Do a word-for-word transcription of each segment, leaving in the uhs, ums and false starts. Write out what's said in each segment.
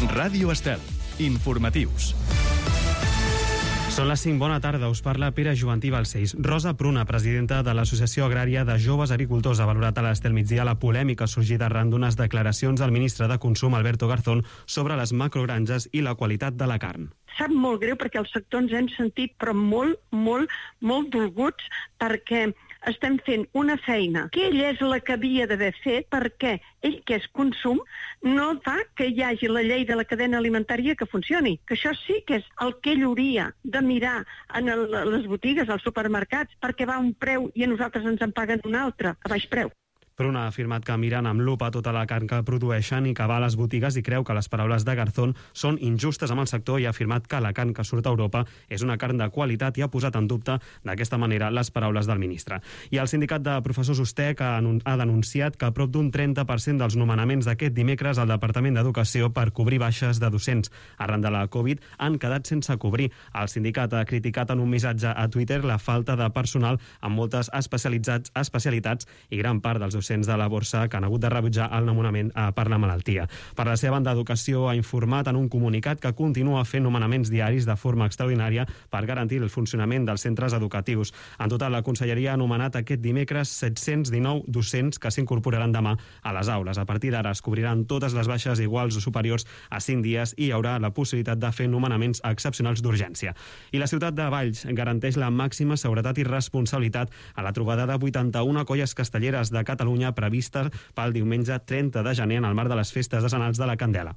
Ràdio Estel. Informatius. Són les cinc, bona tarda, us parla Pere Jovantí Balcells. Rosa Pruna, presidenta de l'Associació Agrària de Joves Agricultors, ha valorat a l'Estel Migdia la polèmica sorgida arran d'unes declaracions del ministre de Consum, Alberto Garzón, sobre les macrogranges i la qualitat de la carn. Sap molt greu perquè el sector ens hem sentit però molt, molt, molt dolguts perquè estem fent una feina que ell és la que havia d'haver fet perquè ell, que és consum, no fa que hi hagi la llei de la cadena alimentària que funcioni. Que això sí que és el que ell hauria de mirar en el, les botigues, als supermercats, perquè va a un preu i a nosaltres ens en paguen un altre, a baix preu. Pruna ha afirmat que miren amb lupa tota la carn que produeixen i que va a les botigues i creu que les paraules de Garzón són injustes amb el sector i ha afirmat que la carn que surt a Europa és una carn de qualitat i ha posat en dubte d'aquesta manera les paraules del ministre. I el sindicat de professors USTEC ha, ha denunciat que prop d'un trenta per cent dels nomenaments d'aquest dimecres al Departament d'Educació per cobrir baixes de docents arran de la Covid han quedat sense cobrir. El sindicat ha criticat en un missatge a Twitter la falta de personal amb moltes especialitats, especialitats i gran part dels docents de la borsa que han hagut de rebutjar el nomenament per la malaltia. Per la seva banda, Educació ha informat en un comunicat que continua fent nomenaments diaris de forma extraordinària per garantir el funcionament dels centres educatius. En total, la Conselleria ha nomenat aquest dimecres set-cents dinou docents que s'incorporaran demà a les aules. A partir d'ara es cobriran totes les baixes iguals o superiors a cinc dies i hi haurà la possibilitat de fer nomenaments excepcionals d'urgència. I la ciutat de Valls garanteix la màxima seguretat i responsabilitat a la trobada de vuitanta-una colles castelleres de Catalunya prevista pel diumenge trenta de gener en el marc de les festes decenals de la Candela.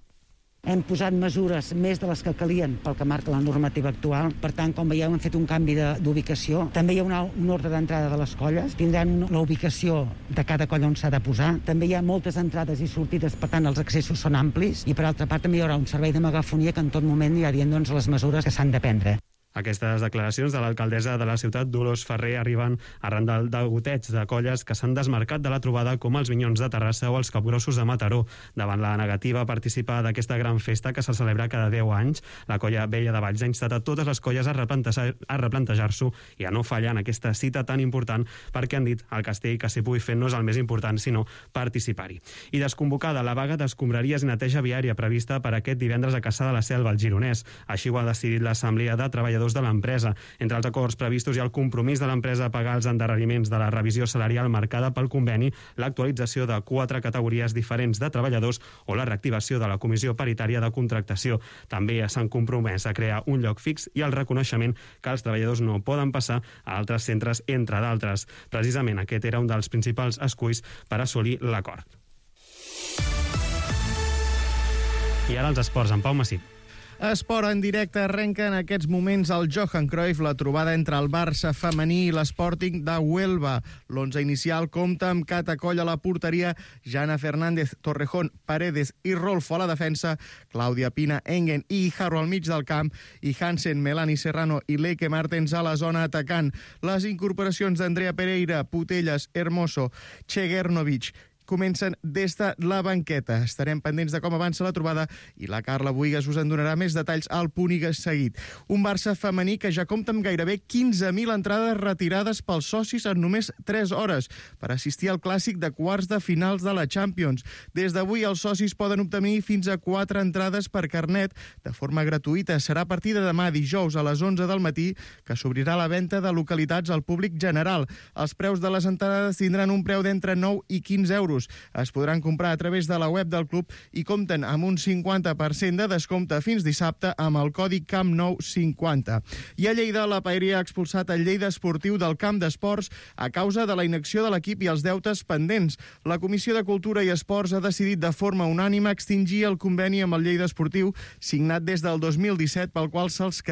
Hem posat mesures més de les que calien pel que marca la normativa actual. Per tant, com veieu, hem fet un canvi d'ubicació. També hi ha una, un ordre d'entrada de les colles. Tindran la ubicació de cada colla on s'ha de posar. També hi ha moltes entrades i sortides, per tant, els accessos són amplis. I, per altra part, també hi haurà un servei de megafonia que en tot moment hi ha dient doncs, les mesures que s'han de prendre. Aquestes declaracions de l'alcaldessa de la ciutat, Dolors Ferrer, arriben arran del degoteig de colles que s'han desmarcat de la trobada com els Minyons de Terrassa o els Capgrossos de Mataró. Davant la negativa a participar d'aquesta gran festa que se celebra cada deu anys, la colla Vella de Valls ha instat a totes les colles a replantejar, a replantejar-s'ho i a no fallar en aquesta cita tan important perquè han dit el castell que s'hi pugui fer no és el més important, sinó participar-hi. I desconvocada la vaga d'escombraries i neteja viària prevista per aquest divendres a Cassà de la Selva, al Gironès. Així ho ha decidit l'Assemblea de Treballadors de l'empresa. Entre els acords previstos hi ha el compromís de l'empresa a pagar els endarreriments de la revisió salarial marcada pel conveni, l'actualització de quatre categories diferents de treballadors o la reactivació de la Comissió Paritària de Contractació. També s'han compromès a crear un lloc fix i el reconeixement que els treballadors no poden passar a altres centres, entre d'altres. Precisament aquest era un dels principals esculls per assolir l'acord. I ara els esports, en Pau Massip. Esport en directe arrenca en aquests moments al Johan Cruyff, la trobada entre el Barça femení i l'Sporting de Huelva. L'onze inicial compta amb Cata Coll a la porteria, Jana Fernández, Torrejón, Paredes i Rolfo a la defensa, Clàudia Pina, Engen i Guijarro al mig del camp i Hansen, Melanie Serrano i Leike Martens a la zona atacant. Les incorporacions d'Andrea Pereira, Putelles, Hermoso, Chegernovic comencen des de la banqueta. Estarem pendents de com avança la trobada i la Carla Buigas us en donarà més detalls al punt i seguit. Un Barça femení que ja compta amb gairebé quinze mil entrades retirades pels socis en només tres hores per assistir al clàssic de quarts de finals de la Champions. Des d'avui els socis poden obtenir fins a quatre entrades per carnet de forma gratuïta. Serà a partir de demà dijous a les onze del matí que s'obrirà la venda de localitats al públic general. Els preus de les entrades tindran un preu d'entre nou i quinze euros. Es podran comprar a través de la web del club i compten amb un cinquanta per cent de descompte fins dissabte amb el codi Camp Nou cinquanta. I a Lleida, la Paeria ha expulsat el Lleida Esportiu del camp d'esports a causa de la inacció de l'equip i els deutes pendents. La Comissió de Cultura i Esports ha decidit de forma unànime extingir el conveni amb el Lleida Esportiu signat des del dos mil disset pel qual se'ls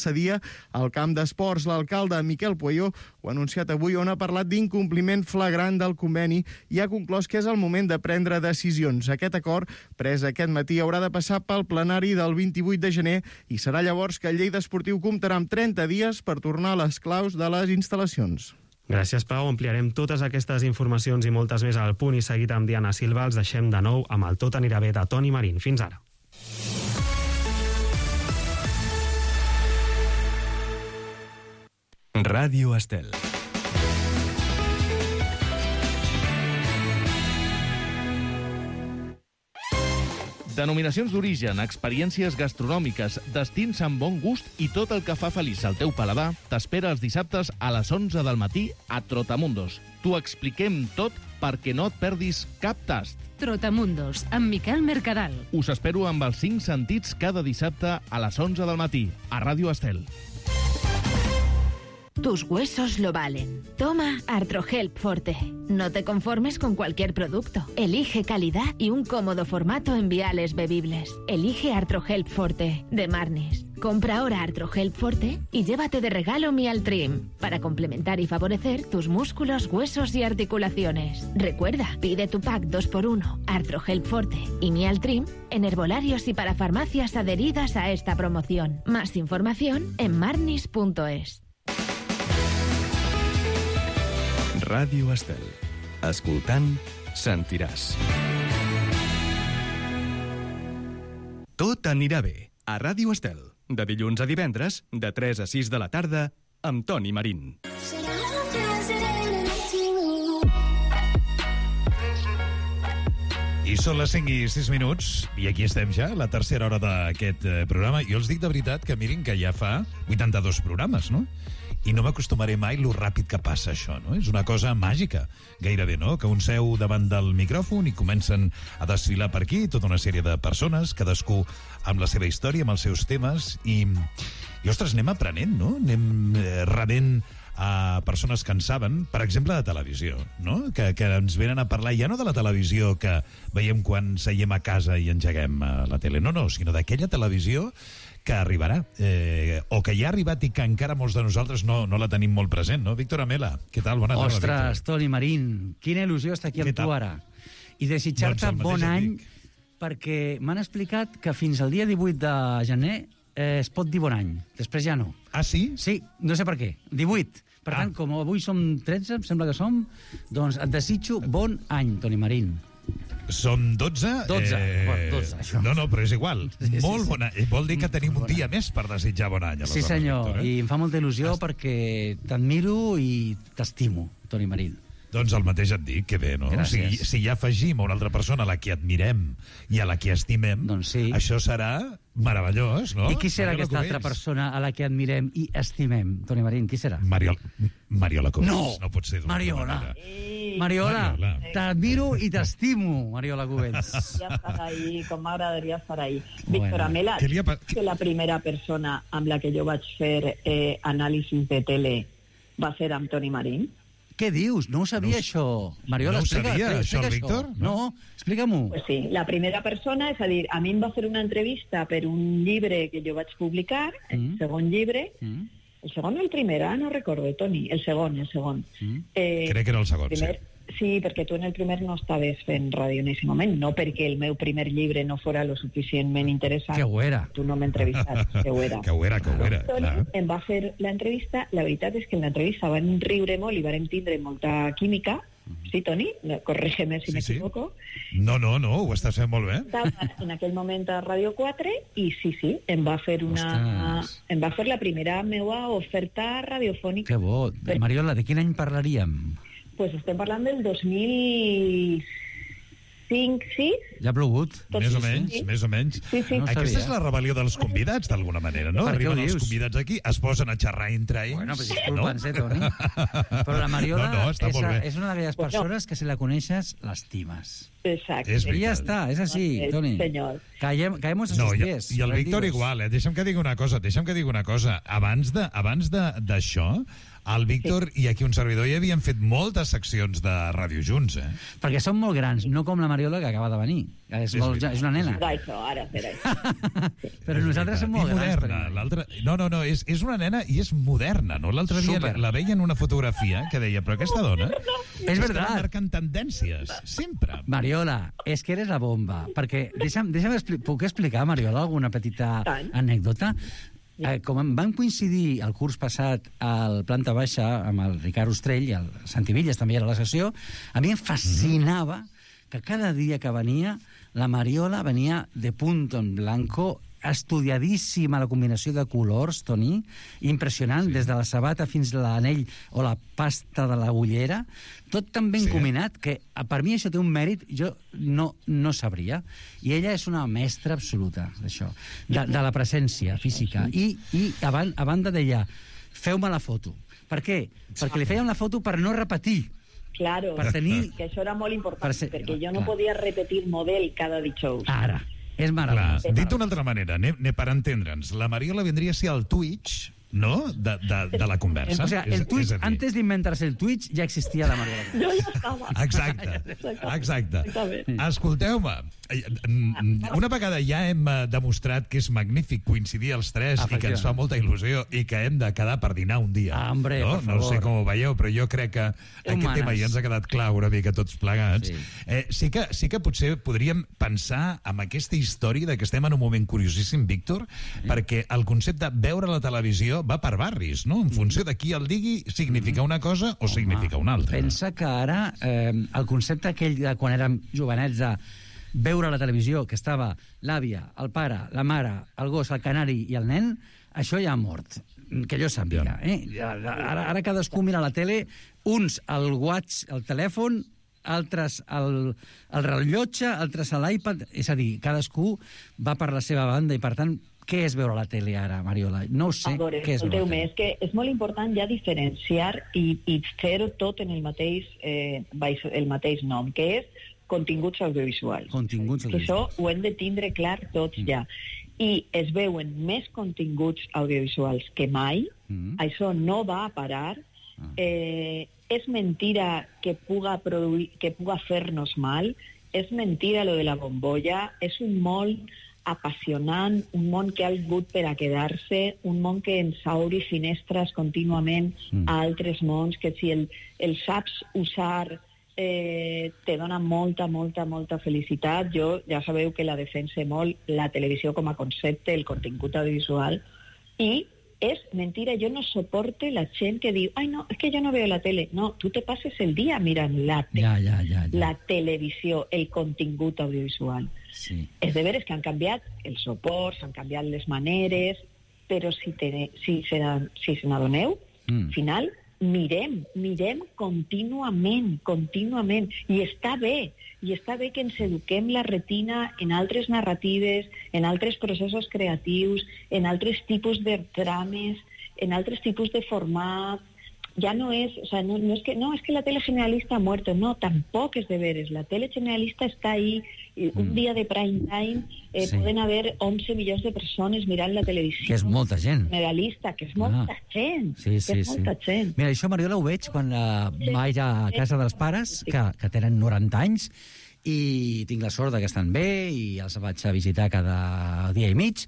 cedia el camp d'esports. L'alcalde Miquel Pueyo ho ha anunciat avui, on ha parlat d'incompliment flagrant del conveni i ha conclòs que és el moment de prendre decisions. Aquest acord, pres aquest matí, haurà de passar pel plenari del vint-i-vuit de gener i serà llavors que el Lleida Esportiu comptarà amb trenta dies per tornar les claus de les instal·lacions. Gràcies, Pau. Ampliarem totes aquestes informacions i moltes més al punt i seguit amb Diana Silva. Els deixem de nou amb el Tot anirà bé de Toni Marín. Fins ara. Ràdio Estel. Denominacions d'origen, experiències gastronòmiques, destins amb bon gust i tot el que fa feliç al teu paladar t'espera els dissabtes a les onze del matí a Trotamundos. T'ho expliquem tot perquè no et perdis cap tast. Trotamundos, amb Miquel Mercadal. Us espero amb els cinc sentits cada dissabte a les onze del matí a Ràdio Estel. Tus huesos lo valen. Toma Artrohelp Forte. No te conformes con cualquier producto. Elige calidad y un cómodo formato en viales bebibles. Elige Artrohelp Forte, de Marnis. Compra ahora Artrohelp Forte y llévate de regalo Mialtrim, para complementar y favorecer tus músculos, huesos y articulaciones. Recuerda, pide tu pack dos por uno, Artrohelp Forte y Mialtrim, en herbolarios y para farmacias adheridas a esta promoción. Más información en marnis punto es. Ràdio Estel. Escoltant, sentiràs. Tot anirà bé. A Ràdio Estel. De dilluns a divendres, de tres a sis de la tarda, amb Toni Marín. I són les cinc i sis minuts, i aquí estem ja, la tercera hora d'aquest eh, programa. Jo els dic de veritat que mirin que ja fa vuitanta-dos programes, no? I no m'acostumaré mai lo ràpid que passa això, no? És una cosa màgica, gairebé, no? Que un seu davant del micròfon i comencen a desfilar per aquí tota una sèrie de persones, cadascú amb la seva història, amb els seus temes, i, i ostres, anem aprenent, no? Anem eh, rebent a persones que en saben, per exemple, de televisió, no? Que, que ens venen a parlar ja no de la televisió que veiem quan seiem a casa i engeguem la tele, no, no, sinó d'aquella televisió que arribarà, eh, o que ja ha arribat i que encara molts de nosaltres no, no la tenim molt present, no? Víctor Amela, què tal? Bona tarda, Ostres, Víctor. Toni Marín, quina il·lusió estar aquí amb tu ara. I desitjar-te doncs bon any, amic. perquè m'han explicat que fins al dia divuit de gener eh, es pot dir bon any, després ja no. Ah, sí? Sí, no sé per què, divuit. Per ah. tant, com avui som tretze, em sembla que som, doncs et desitjo bon any, Toni Marín. Som dotze? dotze, Eh... bueno, dotze, això. No, no, però és igual. Sí, sí, Molt sí. bon any. Vol dir que tenim un dia més per desitjar bon any. Sí, senyor, Víctor, eh? i em fa molta il·lusió Est... perquè t'admiro i t'estimo, Toni Marín. Doncs el mateix et dic, que bé, no? Gràcies. Si, si ja afegim a una altra persona a la que admirem i a la que estimem, doncs sí. Això serà meravellós, no? I qui serà Mariola aquesta Cubells. altra persona a la que admirem i estimem, Toni Marín? Qui serà? Mariol... Mariola Cubells. No! No pot ser d'una Mariola. manera. Mariola, Mariola. t'admiro i t'estimo, Mariola Cubells. Ja estar ahí, com m'agradaria estar ahí. Bueno. Víctor Amela, Què li ha pa- que la primera persona amb la que jo vaig fer eh, anàlisis de tele va ser amb Toni Marín. Què dius? No ho sabia, No ho- això. Mariola, no ho explica, sabia, explica, això, el explica Víctor? No, no explica-m'ho. Pues sí, la primera persona, és a dir, a mi em va fer una entrevista per un llibre que jo vaig publicar, el Mm. segon llibre, Mm. el segon o el primer, ah, no recordo, Toni, el segon, el segon. Mm. Eh, Crec que era el segon, primer, sí, perquè tu en el primer no estaves fent ràdio en aquest moment, no perquè el meu primer llibre no fora lo suficientment interessant. Que ho era. Tu no m'entrevistes, que ho era. Que ho era, que ho era, Toni clar. em va fer l'entrevista, la veritat és que en l'entrevista van riure molt i van tindre molta química. Sí, Toni? No, corrígeme si Sí, sí. m'equivoco. No, no, no, ho estàs fent molt bé. Estava en aquell moment a Ràdio quatre i sí, sí, em va fer una... Ostres. Em va fer la primera meua oferta radiofònica. Que bo. Però- Mariola, de quin any parlaríem? Pues estem parlant del dos mil cinc, sis. Ja ha plogut. Tot Més o sí, menys, sí. més o menys. Sí, sí. No ho Aquesta sabia. és la rebel·lió dels convidats, d'alguna manera, no? Per què ho Arriben els dius? convidats aquí, es posen a xerrar entre ells. Bueno, però disculpa'ns, eh, Toni? Però la Mariola No, no, està és, molt bé. és una d'aquelles Bueno. persones que si la coneixes, l'estimes. Exacte. És I ja veritat. està, és així, Sí, Toni. senyor. Caiem, caemos a No, sus i, pies. i el Víctor rendidos. igual, eh? Deixa'm que digui una cosa, deixa'm que digui una cosa. Abans de, abans de, d'això, el Víctor i aquí un servidor ja havien fet moltes seccions de ràdio junts, eh? Perquè són molt grans, no com la Mariola que acaba de venir. És, És molt, veritat. és una nena. Ara això, ara serà això. Però És nosaltres veritat. som molt I grans. moderna. Toni. L'altre... No, no, no, és, és una nena i és moderna, no? L'altre dia la, Súper. la veia en una fotografia que deia, però aquesta dona... És està veritat. marcant tendències, sempre. Mariola, és que eres la bomba. Perquè, deixa'm, deixa'm expli puc explicar, Mariola, alguna petita Tant. anècdota? Eh, com em van coincidir el curs passat al Planta Baixa amb el Ricard Ostrell i el Santi Villas també era a la sessió, a mi em fascinava que cada dia que venia la Mariola venia de punto en blanco estudiadíssima la combinació de colors, Toni, impressionant, sí. Des de la sabata fins a l'anell o la pasta de la ullera, tot tan ben sí. combinat que per mi això té un mèrit, jo no, no sabria. I ella és una mestra absoluta d'això, de, de la presència física. I, i a, ban, a banda deia, feu-me la foto. Per què? Perquè li feien la foto per no repetir. Claro, per tenir... que això era molt important, per ser... perquè jo no clar. podia repetir model cada dijous. Ara. És meravellós. Dit d'una altra manera, anem, anem per entendre'ns, la Mariola vendria a ser el Twitch, no?, de, de, de la conversa. O sea, el Twitch, és, és antes d'inventar-se el Twitch, ja existia la Mariola. Jo ja estava. Exacte, exacte. Escolteu-me, una vegada ja hem demostrat que és magnífic coincidir els tres i que ens fa molta il·lusió i que hem de quedar per dinar un dia. Ah, hombre, no? por favor. No sé com ho veieu, però jo crec que aquest Humanes. tema ja ens ha quedat clar una mica tots plegats. Sí. Eh, sí, que, sí que potser podríem pensar en aquesta història de que estem en un moment curiosíssim, Víctor, sí. perquè el concepte veure la televisió va per barris, no? En funció de qui el digui, significa una cosa o Home, significa una altra. Pensa que ara eh, el concepte aquell de quan érem jovenets de veure la televisió, que estava l'àvia, el pare, la mare, el gos, el canari i el nen, això ja ha mort, que jo sàpiga. Eh? Ara, ara cadascú mira la tele, uns al watch, al telèfon, altres al, al rellotge, altres a l'iPad, és a dir, cadascú va per la seva banda i, per tant, què és veure la tele ara, Mariola? No ho sé. A veure, què és veure la tele? És que és molt important ja diferenciar i, i fer-ho tot en el mateix, eh, el mateix nom, que és continguts audiovisuals. Continguts audiovisuals. Que això ho hem de tindre clar tots mm. ja. I es veuen més continguts audiovisuals que mai. Mm. Això no va a parar. Ah. Eh, és mentira que puga, produir, que puga fer-nos mal. És mentira lo de la bombolla. És un món apassionant, un món que ha vingut per a quedar-se, un món que ens obri finestres contínuament mm. a altres mons, que si el, el saps usar eh, te dona molta, molta, molta felicitat. Jo ja sabeu que la defense molt, la televisió com a concepte, el contingut audiovisual, i és mentira, jo no soporte la gent que diu, ai no, és que jo no veo la tele. No, tu te passes el dia mirant la, te ja, ja, ja, ja. la televisió, el contingut audiovisual. Sí. És de veres que han canviat els suports, han canviat les maneres, però si, te, si, se, si se n'adoneu, mm. al final mirem, mirem contínuament, contínuament, i està bé, i està bé que ens eduquem la retina en altres narratives, en altres processos creatius, en altres tipus de trames, en altres tipus de formats. Ja no és, o sea, no, no, es que, no, es que la tele generalista ha muerto, no, tampoc és de veres. La tele generalista està ahí, un mm. dia de prime time eh, sí. poden haver onze milions de persones mirant la televisió. Que és molta gent. Generalista, que és molta ah. gent. Sí, sí, que és molta sí. gent. Mira, això, Mariola, ho veig quan uh, vaig a casa dels pares, que, que tenen noranta anys, i tinc la sort que estan bé, i els vaig a visitar cada dia i mig,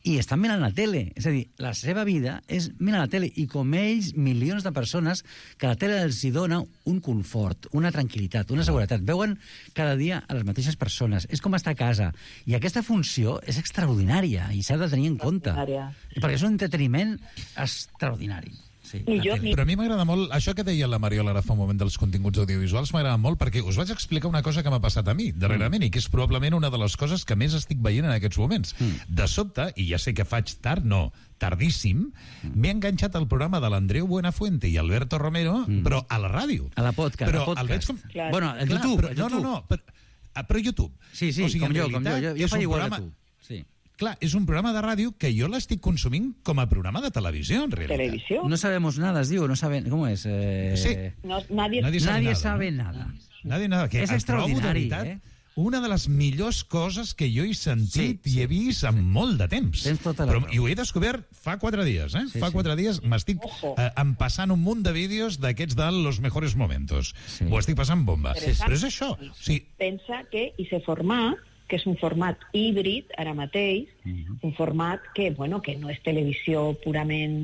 i estan mirant la tele. És a dir, la seva vida és mirar la tele, i com ells, milions de persones que la tele els hi dona un confort, una tranquil·litat, una seguretat. Veuen cada dia a les mateixes persones. És com estar a casa. I aquesta funció és extraordinària i s'ha de tenir en compte. Perquè és un entreteniment extraordinari. Sí, jo, però a mi m'agrada molt, això que deia la Mariola ara fa un moment dels continguts audiovisuals, m'agrada molt perquè us vaig explicar una cosa que m'ha passat a mi darrerament mm. i que és probablement una de les coses que més estic veient en aquests moments. Mm. De sobte, i ja sé que faig tard, no, tardíssim, mm. m'he enganxat al programa de l'Andreu Buenafuente i Alberto Romero, mm. però a la ràdio. A la podcast. Però podcast. El veig com... Clar. Bueno, el Clar, YouTube. Però, el YouTube. No, no, no, però, però YouTube. Sí, sí, o sigui, com jo, com jo. Jo, jo faig igual programa... que tu. Sí. Clar, és un programa de ràdio que jo l'estic consumint com a programa de televisió, en realitat. ¿Televisió? No sabemos nada, es diu, no saben... ¿Cómo es? Eh... Sí. No, nadie nadie sabe, nadie nada, sabe no? nada. Nadie nada. Que és extraordinari, eh? Una de les millors coses que jo he sentit sí, sí, i he vist en sí. molt de temps. Tens tota la Però, raó. I ho he descobert fa quatre dies, eh? Sí, fa sí. quatre dies m'estic eh, empassant un munt de vídeos d'aquests de los mejores momentos. Sí. Ho estic passant bomba. Sí, sí. Però és això. O sigui, pensa que i se format que és un format híbrid, ara mateix, uh-huh. un format que, bueno, que no és televisió purament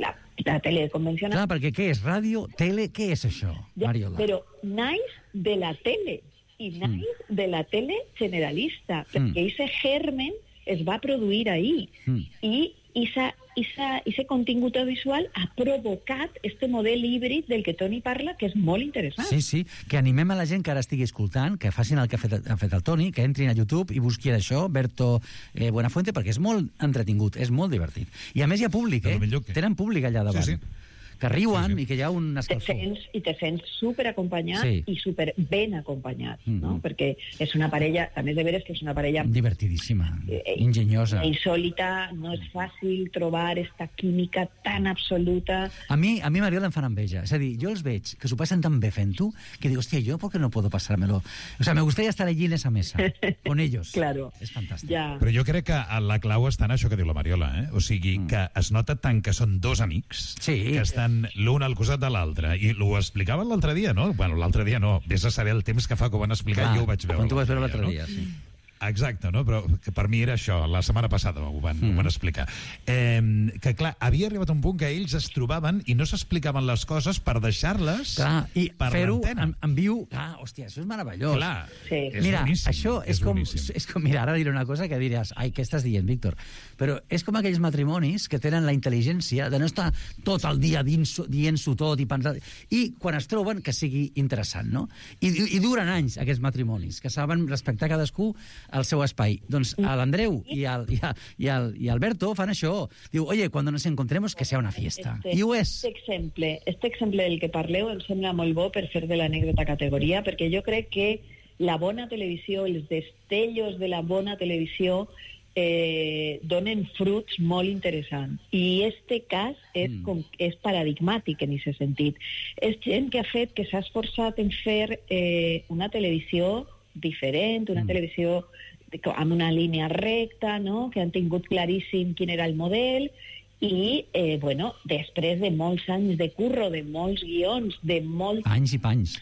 la, la tele convencional. Clar, perquè què és? Ràdio, tele, què és això, ja, Mariola? però naix de la tele, i naix mm. de la tele generalista, perquè mm. ese germen es va produir ahí. Mm. I esa, ese contingut audiovisual ha provocat este model híbrid del que Toni parla, que és molt interessant. Sí, sí, que animem a la gent que ara estigui escoltant, que facin el que ha fet, ha fet el Toni, que entrin a YouTube i busquin això, Berto eh, Buenafuente, perquè és molt entretingut, és molt divertit. I a més hi ha públic, eh? Que... Tenen públic allà davant. Sí, sí. Que riuen sí, sí. I que hi ha un escalfor. Te sents, I te sents superacompanyat sí. I super ben acompanyat, mm -hmm. no? Perquè és una parella, també és de veres que és una parella... Divertidíssima, eh, enginyosa. Insòlita, no és fàcil trobar esta química tan absoluta. A mi, a mi Mariola, em fan enveja. És a dir, jo els veig que s'ho passen tan bé fent-ho que digo, hòstia, ¿yo por qué no puedo pasármelo? O sea, me gustaría estar allí en esa mesa, con ellos. Claro. És fantàstic. Ja. Però jo crec que la clau està en això que diu la Mariola, eh? O sigui, mm. que es nota tant que són dos amics, sí. que estan l'un al costat de l'altre, i ho explicaven l'altre dia, no? Bueno, l'altre dia no, vés a saber el temps que fa que ho van explicar, ah, jo ho vaig veure. Quan tu vas veure l'altre dia, no? Sí. Exacte, no? Però que per mi era això, la setmana passada ho van, mm. ho van explicar. Eh, que, clar, havia arribat un punt que ells es trobaven i no s'explicaven les coses per deixar-les clar, i per fer-ho l'antena. en, en viu. Ah, hòstia, això és meravellós. Clar, sí. és mira, boníssim. Això és, és com, boníssim. és com... Mira, ara diré una cosa que diràs, ai, què estàs dient, Víctor? Però és com aquells matrimonis que tenen la intel·ligència de no estar tot el dia dient-s'ho tot i pensant... I quan es troben, que sigui interessant, no? I, i, i duren anys, aquests matrimonis, que saben respectar cadascú el seu espai. Doncs l'Andreu i el, i, el, i, el, i Alberto fan això. Diu, oye, cuando nos encontremos que sea una fiesta. Este, I ho és. Este exemple, este exemple del que parleu em sembla molt bo per fer de l'anècdota categoria, perquè jo crec que la bona televisió, els destellos de la bona televisió eh, donen fruits molt interessants. I este cas és, mm. com, és paradigmàtic en aquest sentit. És gent que ha fet, que s'ha esforçat en fer eh, una televisió diferent, una mm. televisió amb una línia recta, no? Que han tingut claríssim quin era el model i, eh, bueno, després de molts anys de curro, de molts guions, de molts... Anys i panys.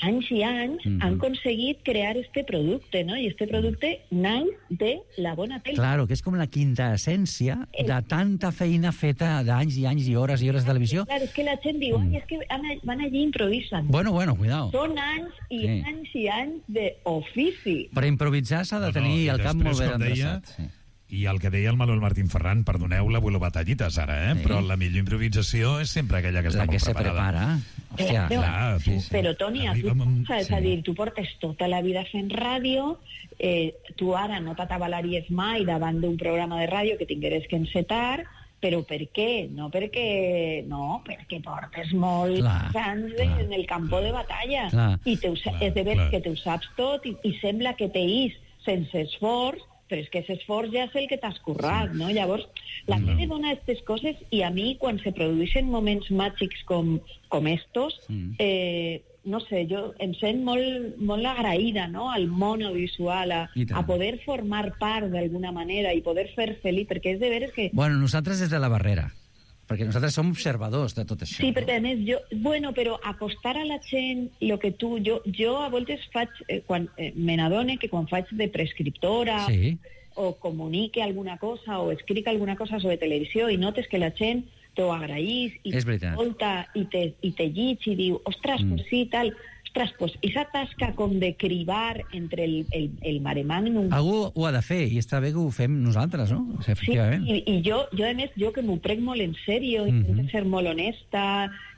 Anys i anys, mm-hmm. han aconseguit crear este producte, no? I este producte naix de la bona tele. Claro, que és com la quinta essència de tanta feina feta d'anys i anys i hores i hores de televisió. Claro, és que la gent diu, ai, és que van allí i improvisen. Bueno, bueno, cuidao. Són anys i sí. anys i anys d'ofici. Per improvisar s'ha de tenir no, no, el cap molt ben endreçat. Sí. I el que deia el Manuel Martín Ferran, perdoneu l'abuelo batallites ara, eh? Sí. Però la millor improvisació és sempre aquella que està la molt que preparada. Se prepara. Hòstia, eh, clar, tu, sí. Però, Toni, a tu pensa, és sí. a dir, tu portes tota la vida fent ràdio, eh, tu ara no t'atabalaries mai davant d'un programa de ràdio que tingueres que encetar, però per què? No perquè... No, perquè portes molts anys en el campo de batalla. Clar, I te ho, clar, és de veres que te ho saps tot i, i sembla que te is sense esforç, però és que aquest esforç ja és el que t'has currat, sí. no? Llavors, la no. tele dona aquestes coses i a mi, quan se produeixen moments màgics com, com estos, mm. eh, no sé, jo em sent molt, molt agraïda, no?, al món audiovisual, a, a poder formar part d'alguna manera i poder fer feliç, perquè és de veres que... Bueno, nosaltres des de la barrera, perquè nosaltres som observadors de tot això. Sí, perquè a més, jo, bueno, però acostar a la gent el que tu... Jo, jo a voltes faig, eh, quan eh, me n'adone que quan faig de prescriptora sí. o comunique alguna cosa o escric alguna cosa sobre televisió i notes que la gent t'ho agraís i t'escolta i te, i te llig i diu, ostres, mm. pues sí, tal... Ostres, pues esa tasca com de cribar entre el, el, el maremàgnum... Algú ho ha de fer, i està bé que ho fem nosaltres, no? O sigui, efectivament. Sí, i, i jo, jo, a més, jo que m'ho prenc molt en sèrio, intento mm-hmm. ser molt honesta,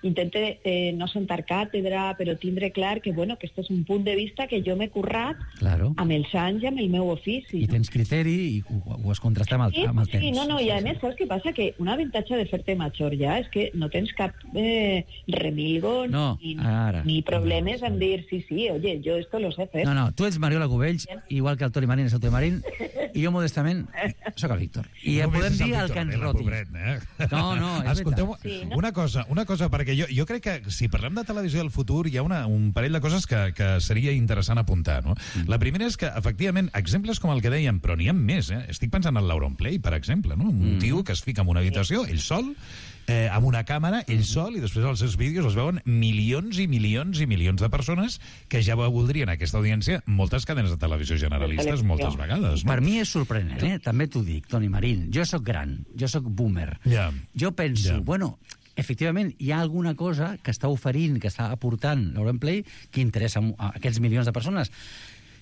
intento eh, no sentar càtedra, però tindre clar que, bueno, que este és un punt de vista que jo m'he currat claro. amb els anys i amb el meu ofici. I tens criteri i ho, ho has contrastat amb el, sí, amb el temps. Sí, no, no, i a més, saps què passa? Que un avantatge de fer-te major ja és que no tens cap eh, remilgo no, ni, ara. ni problemes en dir, sí, sí, oye, yo esto lo sé fer. No, no, tu ets Mariola Cubells, igual que el Toni Marín és el Toni Marín, i jo modestament sóc el Víctor. I ja podem dir el que ens roti. Pobret, eh? No, no, és Escolteu, veritat. Sí, no? Una cosa, una cosa, perquè jo, jo crec que si parlem de televisió del futur hi ha una, un parell de coses que, que seria interessant apuntar, no? Mm. La primera és que, efectivament, exemples com el que dèiem, però n'hi ha més, eh? Estic pensant en l'Auronplay, per exemple, no? Un mm. tio que es fica en una habitació, ell sol, eh, amb una càmera, ell sol, i després els seus vídeos els veuen milions i milions i milions de persones que ja voldrien aquesta audiència moltes cadenes de televisió generalistes moltes vegades. No? Per mi és sorprenent, eh? També t'ho dic, Toni Marín. Jo sóc gran, jo sóc boomer. Yeah. Jo penso, yeah. bueno, efectivament, hi ha alguna cosa que està oferint, que està aportant l'Auronplay que interessa a aquests milions de persones.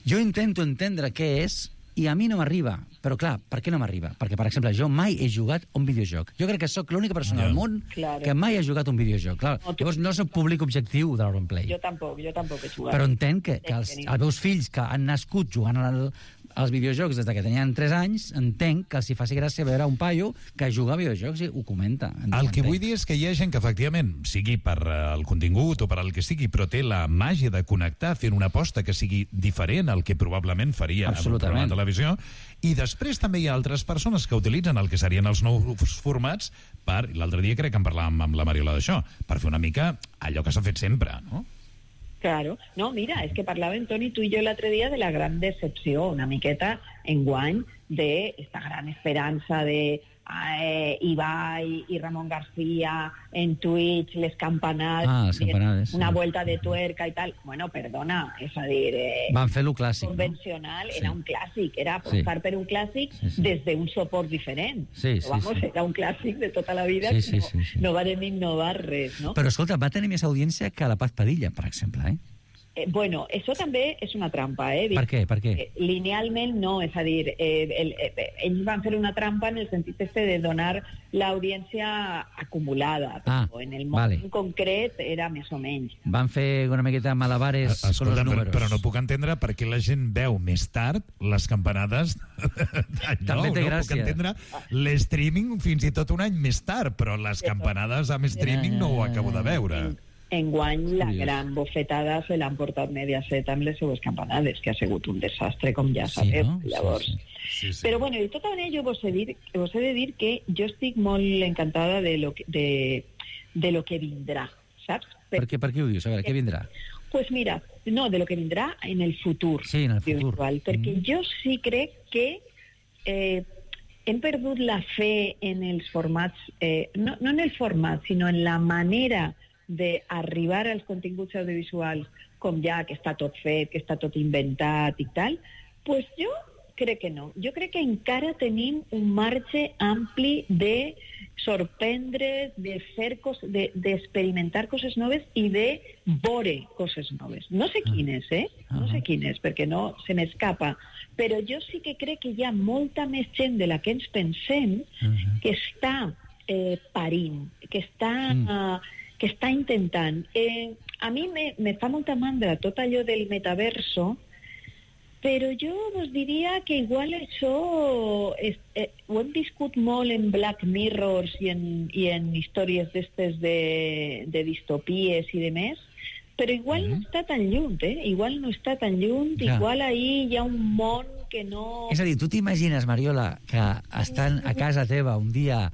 Jo intento entendre què és i a mi no m'arriba. Però clar, per què no m'arriba? Perquè, per exemple, jo mai he jugat un videojoc. Jo crec que sóc l'única persona al món Claro. que mai ha jugat un videojoc. Clar, No, tu- llavors no soc públic objectiu de l'Auronplay. Jo tampoc, jo tampoc he jugat. Però entenc que, que els, els meus fills que han nascut jugant al, als videojocs des de que tenien tres anys, entenc que els hi faci gràcia veure un paio que juga a videojocs i ho comenta. El que vull dir és que hi ha gent que, efectivament, sigui per eh, el contingut o per el que sigui, però té la màgia de connectar fent una aposta que sigui diferent al que probablement faria en un programa de televisió. I després també hi ha altres persones que utilitzen el que serien els nous formats per, l'altre dia crec que en parlàvem amb la Mariola d'això, per fer una mica allò que s'ha fet sempre, no? Claro. No, mira, és que parlàvem, Toni, tu i jo l'altre dia de la gran decepció, una miqueta enguany, d'esta gran esperança de eh, Ibai i Ramon García en Twitch, les campanades, Ah, les campanades, una sí. vuelta de tuerca i tal. Bueno, perdona, és a dir... Eh, Van fer-lo clàssic, no? convencional, Sí. era un clàssic, era apostar Sí. per un clàssic Sí, sí. des d'un suport diferent. Sí, sí, Però, vamos, sí. era un clàssic de tota la vida Sí, que sí, no, sí, sí. no varen innovar res, no? Però, escolta, va tenir més audiència que la Paz Padilla, per exemple, eh? Eh, bueno, això també és una trampa, eh? Per què? Per què? Eh, linealment no, és a dir, eh, el, eh, ells van fer una trampa en el sentit este de donar l'audiència acumulada, Ah, però en el moment vale. concret era més o menys. Van fer una miqueta malabares con Escolta, los però, números. però no puc entendre per què la gent veu més tard les campanades d'any També nou. té No gràcia. puc entendre l'streaming fins i tot un any més tard, però les campanades amb streaming no ho acabo de veure. Enguany la Curiós. gran bofetada se l'han portat Mediaset amb les seues campanades, que ha sigut un desastre, com ja Sí, sabeu. no? Sí, Llavors, sí. Sí, sí. Però bueno, de tota manera jo vos he, dir, vos he de dir que jo estic molt encantada de lo que, de, de lo que vindrà, saps? Per què, per què ho dius? A veure, què vindrà? Pues mira, no, de lo que vindrà en el futur. Sí, en el futur. Virtual, perquè Mm. jo sí crec que eh, hem perdut la fe en els formats, eh, no, no en el format, sinó en la manera d'arribar als continguts audiovisuals com ja que està tot fet, que està tot inventat i tal, pues jo crec que no. Jo crec que encara tenim un marge ampli de sorprendre's, de fer coses, de, d'experimentar coses noves i de veure coses noves. No sé quines, eh? No sé quines, perquè no se m'escapa. Però jo sí que crec que hi ha molta més gent de la que ens pensem que està eh, parint, que està... Mm. Uh, que està intentant. Eh, a mi me, me fa molta mandra tot allò del metaverso, però jo us diria que igual això és, eh, ho hem viscut molt en Black Mirrors i en, i en històries d'estes de, de distopies i de més, però igual no està tan lluny, eh? Igual no està tan lluny, Ja. igual ahí hi ha un món que no... És a dir, tu t'imagines, Mariola, que estan a casa teva un dia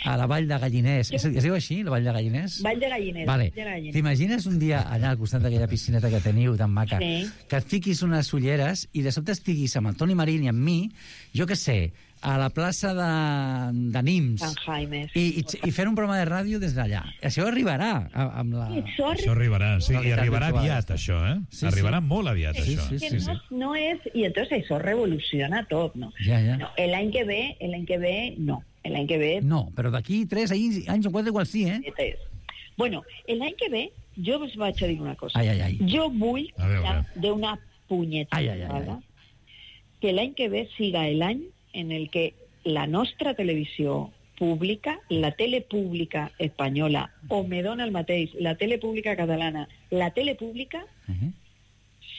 a la Vall de Galliners, es, es diu així, la Vall de Galliners? Vall de Galliners. Vale. Vall de Galliners. T'imagines un dia allà al costat d'aquella piscineta que teniu tan maca, Sí. que et fiquis unes ulleres i de sobte estiguis amb el Toni Marín i amb mi, jo què sé, a la plaça de, de Nims, Sant Jaime. i, i, i fer un programa de ràdio des d'allà. Això arribarà a- amb la... Això Això arribarà, sí, i Realitat arribarà virtual. aviat, això, eh? Sí, Arribarà sí. molt aviat, Sí, això. sí, que sí, sí. no, no és... I entonces això revoluciona tot, no? Ja, ja. No, l'any que ve, l'any que ve, no. L'any que ve... No, però d'aquí tres anys, anys o quatre igual sí, eh? és. Bueno, l'any que ve, jo us vaig a dir una cosa. Ai, ai, ai. Jo vull, A veure. ja, d'una punyeta, Ai, ai, ai, ai. que l'any que ve siga l'any en el que la nostra televisió pública, la tele pública espanyola, o me dona el mateix, la tele pública catalana, la tele pública Uh -huh.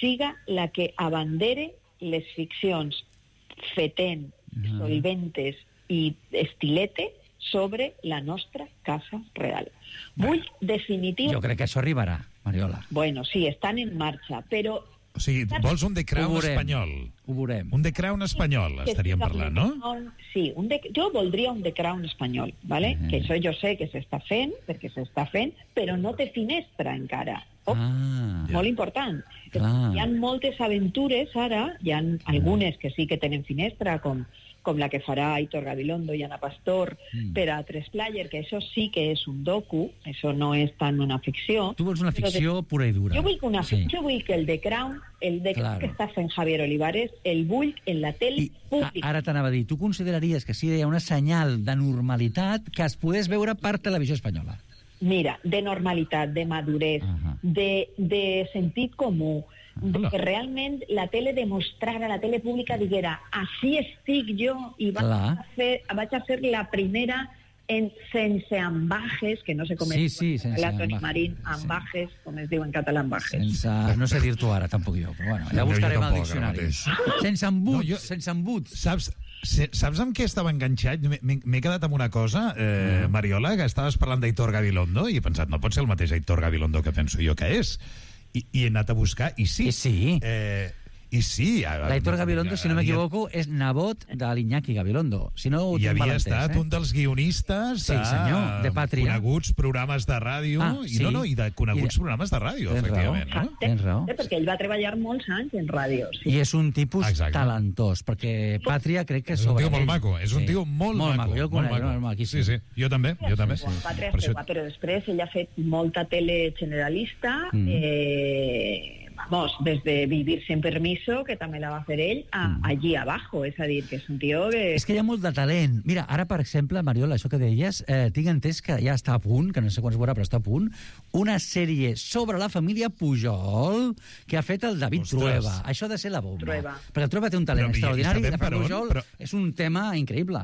siga la que abandere les ficcions fetent, Ah. solventes i estilete sobre la nostra casa real. Vull definitiu... Jo crec que això arribarà, Mariola. Bueno, sí, estan en marxa, però... O sigui, vols un The Ho Crown veurem. espanyol? Ho veurem. Un The Crown espanyol, que estaríem siga parlant, un no? The Crown- Sí, un de, jo voldria un The Crown espanyol, ¿vale? Mhm. Que això jo sé que s'està fent, perquè s'està fent, però no té finestra encara. Oh, Ah, molt important. Clar. Hi ha moltes aventures ara, hi ha algunes que sí que tenen finestra, com, com la que farà Aitor Gabilondo i Ana Pastor Mm. per a tres player, que això sí que és un docu, això no és tant una ficció. tu vols una Però de- ficció pura i dura. Jo vull, una, Sí. jo vull que el The Crown, el The Crown Claro. que està fent Javier Olivares, el vull en la tele I a, pública. ara t'anava a dir, tu consideraries que sí hi ha una senyal de normalitat que es pogués veure per televisió espanyola? Mira, de normalitat, de madurez, Ahà. de, de sentit comú, de que realment la tele demostrara, la tele pública diguera, així estic jo, i vaig a, fer, vaig a ser la primera en sense ambajes, que no sé com sí, es sí, sense la Toni ambajes, Marín, ambajes, sí. Com es diu en català, ambajes. Sense, no sé dir-t'ho ara, tampoc jo, però bueno, ja No, buscarem jo al tampoc, ara diccionari. mateix. Sense embut, No, jo- sense embut. Saps, se- saps amb què estava enganxat? M'he- M'he m'he quedat amb una cosa, eh, Mariola, que estaves parlant d'Aitor Gabilondo i he pensat, no pot ser el mateix Aitor Gabilondo que penso jo que és. I, i he anat a buscar, i sí. I sí. Eh, I sí. a- L'Aitor Gabilondo, si no havia- m'equivoco, és nebot de l'Iñaki Gabilondo. Si no ho I tinc havia mal entès, estat eh? un dels guionistes Sí, de senyor, de Pàtria. coneguts programes de ràdio, Ah, i sí. no, no, i de coneguts I de- programes de ràdio, Tens efectivament. raó. No? Tens raó. Perquè ell va treballar molts anys en ràdio. Sí. I és un tipus Exacte. talentós, perquè Pàtria crec que És un sobre tio molt ell. maco, és un Sí. tio molt, molt maco. Jo el molt conec, maco. molt maquíssim. Sí, sí, jo també, jo també. Quan Pàtria Per es això- va, però després ell ha fet molta tele generalista, Mm. eh, vamos, des de Vivir sin permiso, que també la va fer ell, a Mm. allí abajo, és a dir, que és un tio que... És que hi ha molt de talent. Mira, ara, per exemple, Mariola, això que deies, eh, tinc entès que ja està a punt, que no sé quan es veurà, però està a punt, una sèrie sobre la família Pujol que ha fet el David Ostres. Trueba. Això ha de ser la bomba. Trueba. Perquè el Trueba té un talent Però, i- i extraordinari, sabem de per on, Pujol però- és un tema increïble.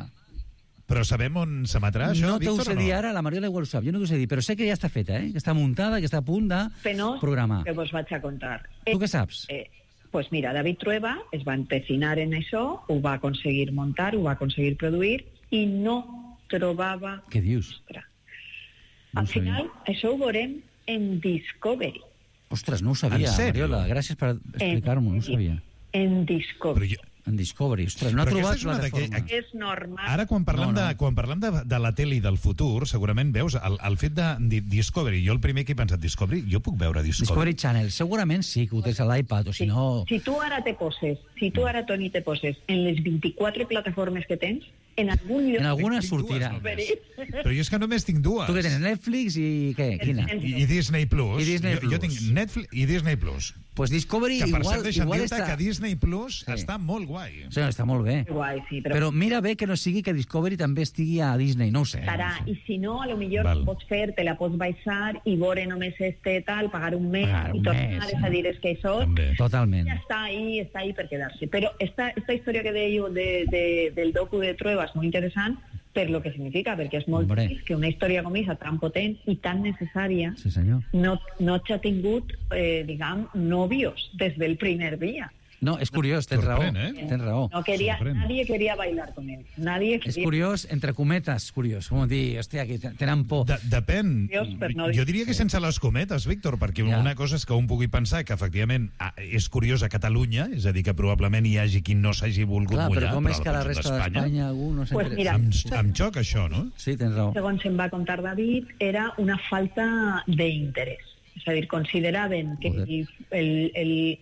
Però sabem on s'emetrà això, no t'ho Víctor, sé o no? dir ara, la Mariola igual ho sap, jo no t'ho sé dir, però sé que ja està feta, eh? que està muntada, que està a punt de Penós programar. que vos vaig a contar. Tu què saps? Eh, pues mira, David Trueba es va empecinar en això, ho va aconseguir muntar, ho va aconseguir produir, i no trobava... Què dius? Ostres. No Al ho sabia. final, això ho veurem en Discovery. Ostres, no ho sabia, En sèrio? Mariola. Gràcies per explicar-m'ho, no ho sabia. En Però Discovery. jo, En Discovery, ostres, no ha Però aquesta trobat és una plataforma. d'aquell- És normal. Ara, quan parlem, No, no. De, quan parlem de, de la tele i del futur, segurament veus el, el fet de, de Discovery. Jo el primer que he pensat, Discovery, jo puc veure Discovery. Discovery Channel, segurament sí, que ho tens a l'iPad, o si no... Si tu ara te poses, si tu ara, Toni, te poses en les vint-i-quatre plataformes que tens, en algun lloc... En alguna Tinc dues sortirà. només. Però jo és que només tinc dues. Tu que tens Netflix i què? Quina? I, I Disney Plus. I Disney jo, jo Plus. tinc Netflix i Disney Plus. Pues Discovery Que per igual, cert, deixa'm igual dir-te està... que Disney Plus Sí. està molt guai. Sí, està molt bé. Guai, sí, però, Però mira bé que no sigui que Discovery també estigui a Disney, no ho sé. estarà. no ho sé. I si no, a lo millor Val. pots fer, te la pots baixar i veure només este tal, pagar un mes Pagar i un tornar, mes, és a dir, és que això També. Totalment. ja està ahí, està ahí per quedar-se. Però esta, esta història que dèieu de, de, del docu de Trueba és molt interessant per lo que significa, perquè és molt Hombre. trist que una història com aquesta, tan potent i tan necessària, Sí, senyor. no, no t'ha tingut, eh, diguem, nòvios des del primer dia. No, és curiós, tens raó. Sorprèn, eh? Tens raó. No quería, Sorprèn. nadie quería bailar con él. Nadie És quería... curiós, entre cometes, curiós. Com dir, hòstia, que tenen por. De, depèn. Dios, per no dir- Jo diria que sense les cometes, Víctor, perquè Ja. una cosa és que un pugui pensar que efectivament ah, és curiós a Catalunya, és a dir, que probablement hi hagi qui no s'hagi volgut Clar, mullar, però com és al que a la conjunt resta d'Espanya algú no Pues s'interessa? mira, Em, em xoca això, no? Sí, tens raó. segons em va contar David, era una falta d'interès. És a dir, consideraven que Joder. el, el, el,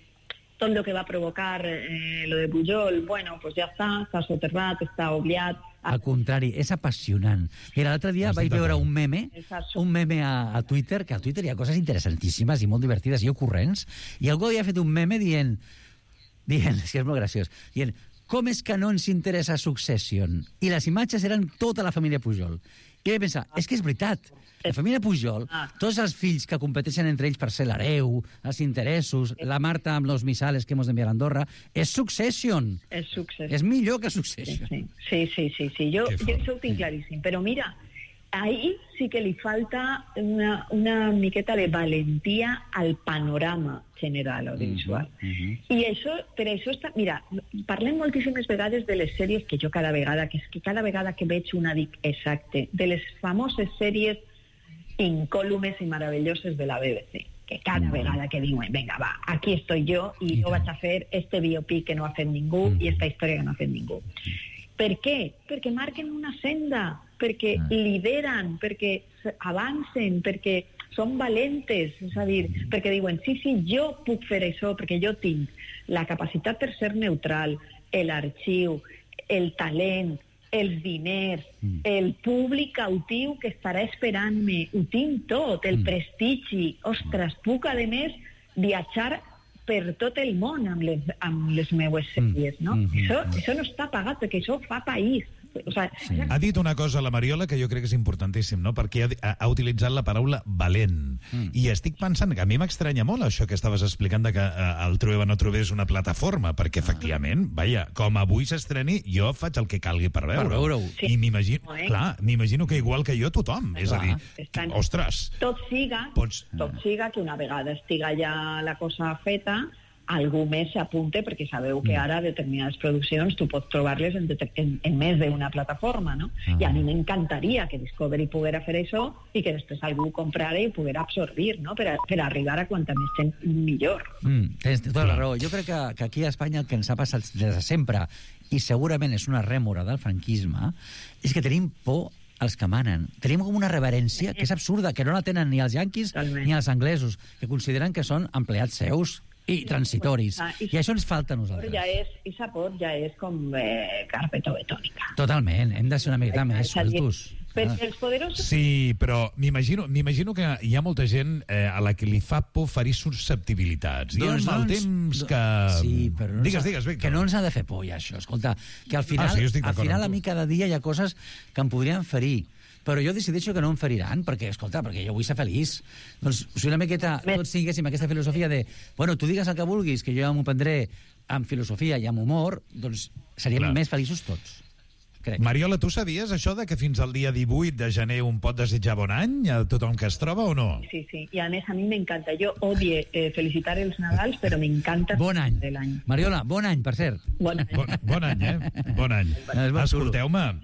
tot el que va provocar eh, lo de Pujol, bueno, pues ja està, està soterrat, està oblidat. Al contrari, és apassionant. Mira, l'altre dia Estic vaig veure d'acord. un meme, un meme a, a Twitter, que a Twitter hi ha coses interessantíssimes i molt divertides i ocorrents, i algú havia fet un meme dient, dient, és que és molt graciós, dient, com és que no ens interessa Succession? I les imatges eren tota la família Pujol. I vaig pensar, és que és veritat, la família Pujol, tots els fills que competeixen entre ells per ser l'hereu, els interessos, la Marta amb los missales que hemos d'enviar a Andorra, és Succession. És succés. És millor que Sí, Succession. sí, sí, sí, sí, sí. Jo, Que jo fort. això ho tinc claríssim. Però mira, ahí sí que li falta una, una miqueta de valentia al panorama general audiovisual. Mhm, mhm. I això, per això està... Mira, parlem moltíssimes vegades de les sèries que jo cada vegada, que és que cada vegada que veig una dic exacte, de les famoses sèries incòlumes i meravelloses de la B B C, que cada Mm. vegada que diuen, venga, va, aquí estoy yo i I jo tant. vaig a fer este biopic que no ha fet ningú Mm. i esta història que no ha fet ningú. Per què? Perquè marquen una senda, perquè Ah. lideren, perquè s- avancen, perquè són valentes, és a dir, perquè diuen, sí, sí, jo puc fer això, perquè jo tinc la capacitat per ser neutral, l'arxiu, el talent, els diners, Mm. el públic cautiu que estarà esperant-me, ho tinc tot, el Mm. prestigi, ostres, puc, a més, viatjar per tot el món amb les, amb les meues sèries, no? Mm. Mhm. Això, això no està pagat, perquè això fa país. O sea, sí. Ha dit una cosa la Mariola que jo crec que és importantíssim, no? Perquè ha, ha utilitzat la paraula valent. Mm. I estic pensant que a mi m'estranya molt això que estaves explicant de que eh, el Trueba no trobés una plataforma, perquè efectivament, vaja, com avui s'estreni, jo faig el que calgui per veure-ho. Per veure-ho. I m'imagino, clar, m'imagino que igual que jo tothom. És a dir, Estan... ostres... Tot siga, pots... tot siga que una vegada estiga ja la cosa feta, algú més s'apunte, perquè sabeu que ara determinades produccions tu pots trobar-les en, en, en més d'una plataforma, no? Ah. I a mi m'encantaria que Discovery poguera fer això i que després algú comprara i poguera absorbir, no? Per, a, per arribar a quanta més gent millor. Mm, tens tota la raó. Jo crec que, que aquí a Espanya el que ens ha passat des de sempre, i segurament és una rèmora del franquisme, és que tenim por els que manen. Tenim com una reverència que és absurda, que no la tenen ni els yanquis Talment. ni els anglesos, que consideren que són empleats seus i transitoris. Ah, i, I això ens falta a nosaltres. Ja és, i sapor ja és com eh, carpeta betònica. Totalment, hem de ser una miqueta més sueltos. Però els poderosos... Sí, però m'imagino m'imagino que hi ha molta gent eh, a la que li fa por ferir susceptibilitats. I doncs amb el temps que... Sí, però no digues, digues, Víctor. Que no ens ha de fer por, ja, això. Escolta, que al final, ah, sí, al final a mi cada dia hi ha coses que em podrien ferir, però jo decideixo que no em feriran, perquè, escolta, perquè jo vull ser feliç. Doncs, si una miqueta tots tinguéssim aquesta filosofia de, bueno, tu digues el que vulguis, que jo ja m'ho prendré amb filosofia i amb humor, doncs seríem Clar. més feliços tots. Crec. Mariola, tu sabies això de que fins al dia divuit de gener un pot desitjar bon any a tothom que es troba o no? Sí, sí, i a més a mi m'encanta. Jo odie eh, felicitar els Nadals, però m'encanta bon any. De l'any. Mariola, bon any, per cert. Bon any. Bon, bon any, eh? Bon any. Escolteu-me,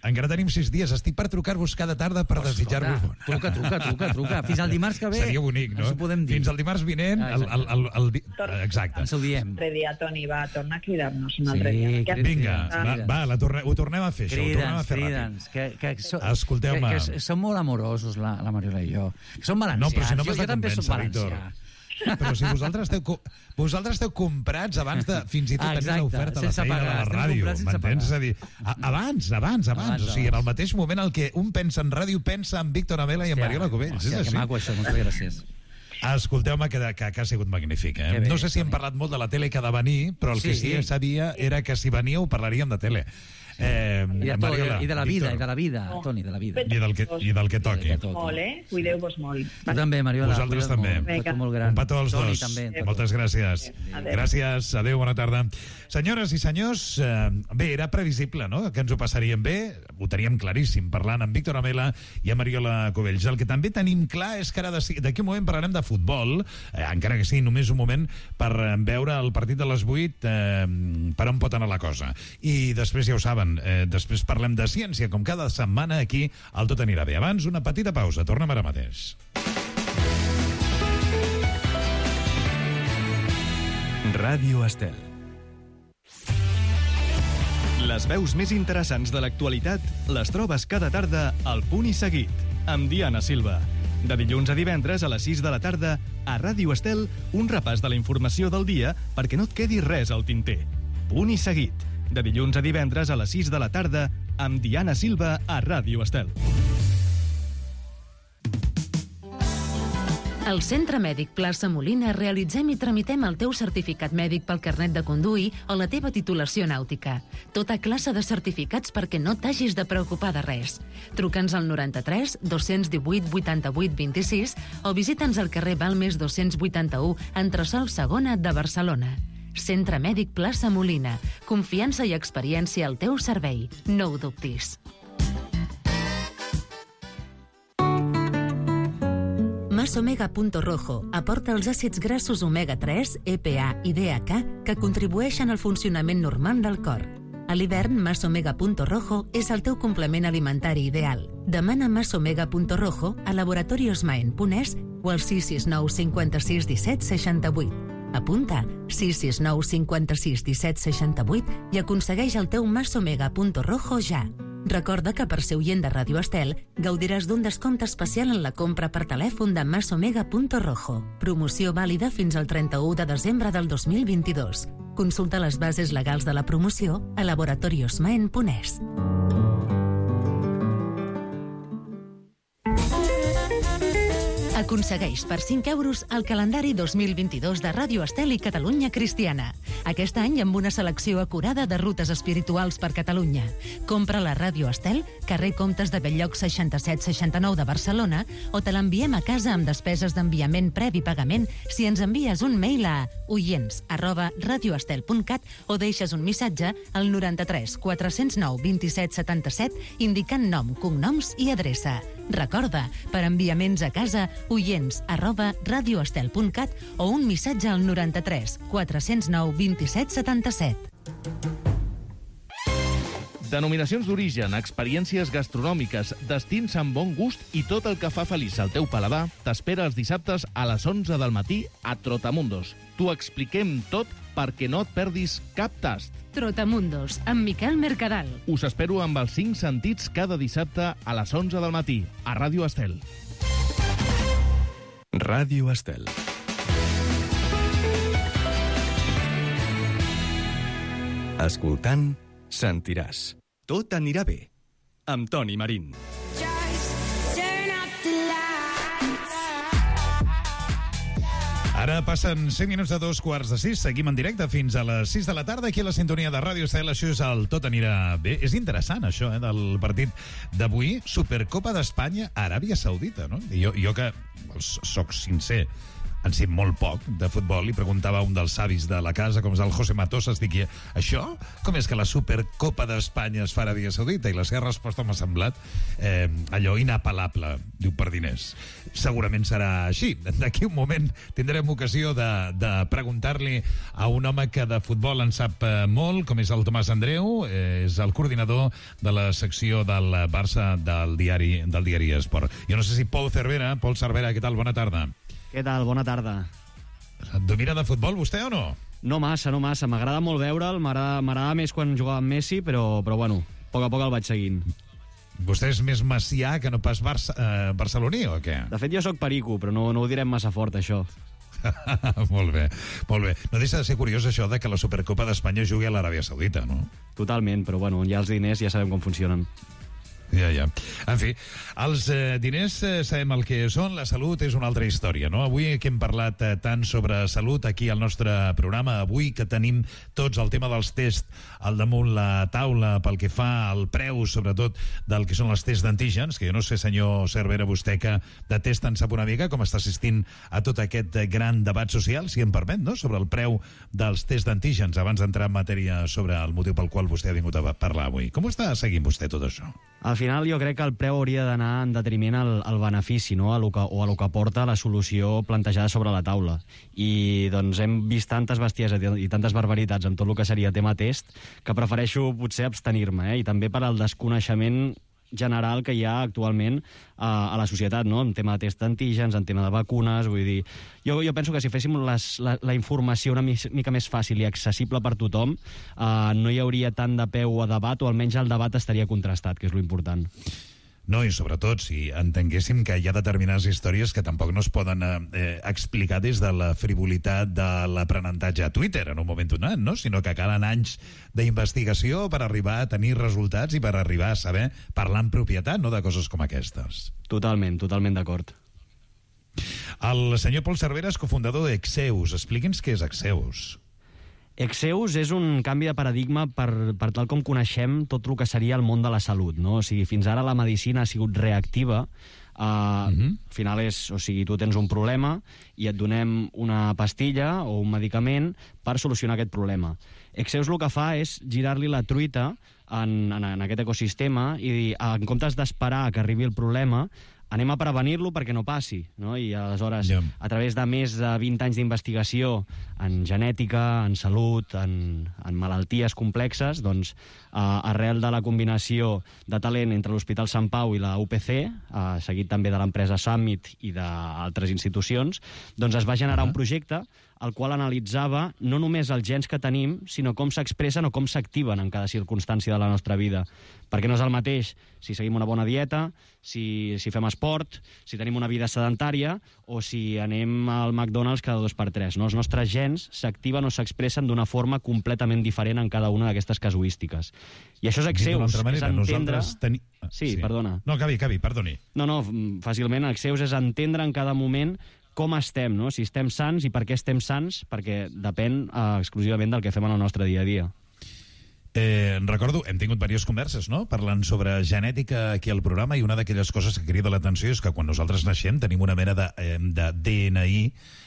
encara tenim sis dies. Estic per trucar-vos cada tarda per desitjar-vos bon any. Truca, truca, truca, truca. Fins al dimarts que ve. Seria bonic, no? Fins al dimarts vinent. Ah, el, el, el, el, el, exacte. Ens ho diem. Un altre dia, Toni, va tornar a cridar-nos un altre sí, dia. Vinga, va, va la torne, ho tornem a fer, això. Ho tornem a fer crida'ns, que, que so, Escolteu-me. Que, que som molt amorosos, la, la Mariola i jo. Som valencians. No, però si no jo, jo també soc valencià. Però si vosaltres esteu, vosaltres esteu comprats abans de fins i tot tenir l'oferta a la feina de la ràdio, m'entens? És a dir, a, abans, abans, abans. O sigui, en el mateix moment el que un pensa en ràdio pensa en Víctor Amela i en Mariola Cubells. Hòstia, que maco això, moltes gràcies. Escolteu-me, que, que, que ha sigut magnífic. Eh? Bé, no sé si hem parlat molt de la tele que ha de venir, però el sí, que sí que sabia era que si veníeu parlaríem de tele. Eh, I, de tot, Mariola, i de la vida, Víctor. i de la vida, no. Toni, de la vida. I del que, i del que toqui. Molt, eh? Cuideu-vos molt. Tu també, Mariola. Vosaltres també. Molt gran. Un petó als Toni, dos. També. Moltes gràcies. Adéu. Gràcies, adéu, bona tarda. Senyores i senyors, eh, bé, era previsible, no?, que ens ho passaríem bé, ho teníem claríssim, parlant amb Víctor Amela i amb Mariola Cubells. El que també tenim clar és que ara d'aquí un moment parlarem de futbol, eh, encara que sigui només un moment, per veure el partit de les vuit, eh, per on pot anar la cosa. I després, ja ho saben, eh, després parlem de ciència, com cada setmana aquí al Tot Anirà Bé. Abans, una petita pausa. Tornem ara mateix. Ràdio Estel. Les veus més interessants de l'actualitat les trobes cada tarda al Punt i Seguit, amb Diana Silva. De dilluns a divendres a les sis de la tarda, a Ràdio Estel, un repàs de la informació del dia perquè no et quedi res al tinter. Punt i Seguit. De dilluns a divendres a les sis de la tarda, amb Diana Silva a Ràdio Estel. Al Centre Mèdic Plaça Molina realitzem i tramitem el teu certificat mèdic pel carnet de conduir o la teva titulació nàutica. Tota classe de certificats perquè no t'hagis de preocupar de res. Truca'ns al noranta-tres dos divuit vuitanta-vuit vint-i-sis o visita'ns al carrer Balmes dos-cents vuitanta-u, entresòl segona de Barcelona. Centre Mèdic Plaça Molina. Confiança i experiència al teu servei. No ho dubtis. Masomega.rojo aporta els àcids grassos omega tres, E P A i D H A que contribueixen al funcionament normal del cor. A l'hivern, Masomega.rojo és el teu complement alimentari ideal. Demana Masomega.rojo a laboratoriosmaen.es o al sis sis nou cinquanta-sis disset seixanta-vuit. Apunta sis sis nou cinquanta-sis disset seixanta-vuit i aconsegueix el teu Masomega.rojo ja. Recorda que per ser oient de Ràdio Estel gaudiràs d'un descompte especial en la compra per telèfon de Masomega.rojo. Promoció vàlida fins al trenta-u de desembre del dos mil vint-i-dos. Consulta les bases legals de la promoció a laboratoriosmaen.es. Aconsegueix per cinc euros el calendari dos mil vint-i-dos de Ràdio Estel i Catalunya Cristiana. Aquest any amb una selecció acurada de rutes espirituals per Catalunya. Compra la Ràdio Estel, carrer Comtes de Belllloc seixanta-set seixanta-nou de Barcelona, o te l'enviem a casa amb despeses d'enviament previ pagament si ens envies un mail a oients arroba radioestel punt cat o deixes un missatge al noranta-tres quatre-cents nou vint-i-set setanta-set indicant nom, cognoms i adreça. Recorda, per enviaments a casa, oients arroba radioestel punt cat o un missatge al noranta-tres quatre-cents nou vint-i-set setanta-set. Denominacions d'origen, experiències gastronòmiques, destins amb bon gust i tot el que fa feliç al teu paladar t'espera els dissabtes a les onze del matí a Trotamundos. T'ho expliquem tot perquè no et perdis cap tast. Trotamundos, amb Miquel Mercadal. Us espero amb els cinc sentits cada dissabte a les onze del matí a Ràdio Estel. Ràdio Estel. Escoltant, sentiràs. Tot anirà bé. Amb Toni Marín. Ara passen cinc minuts de dos quarts de sis. Seguim en directe fins a les sis de la tarda aquí a la sintonia de Ràdio Estel. Això és el Tot anirà bé. És interessant, això, eh, del partit d'avui. Supercopa d'Espanya a Aràbia Saudita, no? Jo, jo que soc sincer, en sé molt poc de futbol, i preguntava a un dels savis de la casa, com és el José Matosas, dic, això? Com és que la Supercopa d'Espanya es fa a Aràbia Saudita? I la seva resposta m'ha semblat eh, allò inapel·lable, diu, per diners. Segurament serà així. D'aquí un moment tindrem ocasió de, de preguntar-li a un home que de futbol en sap molt, com és el Tomàs Andreu, eh, és el coordinador de la secció del Barça del diari, del diari Esport. Jo no sé si Pol Cervera, Pol Cervera, què tal? Bona tarda. Què tal? Bona tarda. Domina de futbol vostè o no? No massa, no massa. M'agrada molt veure'l, m'agrada més quan jugava amb Messi, però, però bueno, a poc a poc el vaig seguint. Vostè és més macià que no pas Barça, eh, barceloní, o què? De fet, jo sóc perico, però no, no ho direm massa fort, això. Molt bé, molt bé. No deixa de ser curiós això de que la Supercopa d'Espanya jugui a l'Aràbia Saudita, no? Totalment, però bueno, ja els diners ja sabem com funcionen. Ja, ja. En fi, els eh, diners eh, sabem el que són, la salut és una altra història, no? Avui que hem parlat eh, tant sobre salut aquí al nostre programa, avui que tenim tots el tema dels tests al damunt la taula pel que fa al preu, sobretot, del que són els tests d'antígens, que jo no sé, senyor Cervera, vostè que de test en sap una mica, com està assistint a tot aquest gran debat social, si em permet, no?, sobre el preu dels tests d'antígens, abans d'entrar en matèria sobre el motiu pel qual vostè ha vingut a parlar avui. Com està seguint vostè tot això? Al final jo crec que el preu hauria d'anar en detriment al, al benefici, no? a lo que, o a lo que porta la solució plantejada sobre la taula. I doncs hem vist tantes bestieses i tantes barbaritats amb tot el que seria tema test que prefereixo potser abstenir-me, eh? I també per al desconeixement general que hi ha actualment a, a la societat, no? En tema de test d'antígens, en tema de vacunes, vull dir... Jo, jo penso que si féssim les, la, la informació una mica més fàcil i accessible per tothom, eh, no hi hauria tant de peu a debat, o almenys el debat estaria contrastat, que és lo important. No, i sobretot si entenguéssim que hi ha determinades històries que tampoc no es poden eh, explicar des de la frivolitat de l'aprenentatge a Twitter en un moment donat, no? Sinó que calen anys d'investigació per arribar a tenir resultats i per arribar a saber parlar en propietat, no?, de coses com aquestes. Totalment, totalment d'acord. El senyor Pol Cervera és cofundador d'Exeus. Expliqui'ns què és Exeus. Exeus és un canvi de paradigma per, per tal com coneixem tot el que seria el món de la salut, no? O sigui, fins ara la medicina ha sigut reactiva. Uh, uh-huh. Al final és, o sigui, tu tens un problema i et donem una pastilla o un medicament per solucionar aquest problema. Exeus el que fa és girar-li la truita en, en, en aquest ecosistema i dir, en comptes d'esperar que arribi el problema, anem a prevenir-lo perquè no passi, no? I aleshores, yeah. a través de més de vint anys d'investigació en genètica, en salut, en, en malalties complexes, doncs, eh, arrel de la combinació de talent entre l'Hospital Sant Pau i la U P C, eh, seguit també de l'empresa Summit i d'altres institucions, doncs es va generar uh-huh. un projecte el qual analitzava no només els gens que tenim, sinó com s'expressen o com s'activen en cada circumstància de la nostra vida. Perquè no és el mateix si seguim una bona dieta, si, si fem esport, si tenim una vida sedentària o si anem al McDonald's cada dos per tres. No? Els nostres gens s'activen o s'expressen d'una forma completament diferent en cada una d'aquestes casuístiques. I això és Exeus, és entendre... Teni... Sí, sí, perdona. No, acabi, acabi, perdoni. No, no, fàcilment, Exeus és entendre en cada moment com estem, no? Si estem sants i per què estem sants, perquè depèn eh, exclusivament del que fem en el nostre dia a dia. Eh, recordo, hem tingut diverses converses, no?, parlant sobre genètica aquí al programa, i una d'aquelles coses que crida l'atenció és que quan nosaltres naixem tenim una mena de, eh, de D N I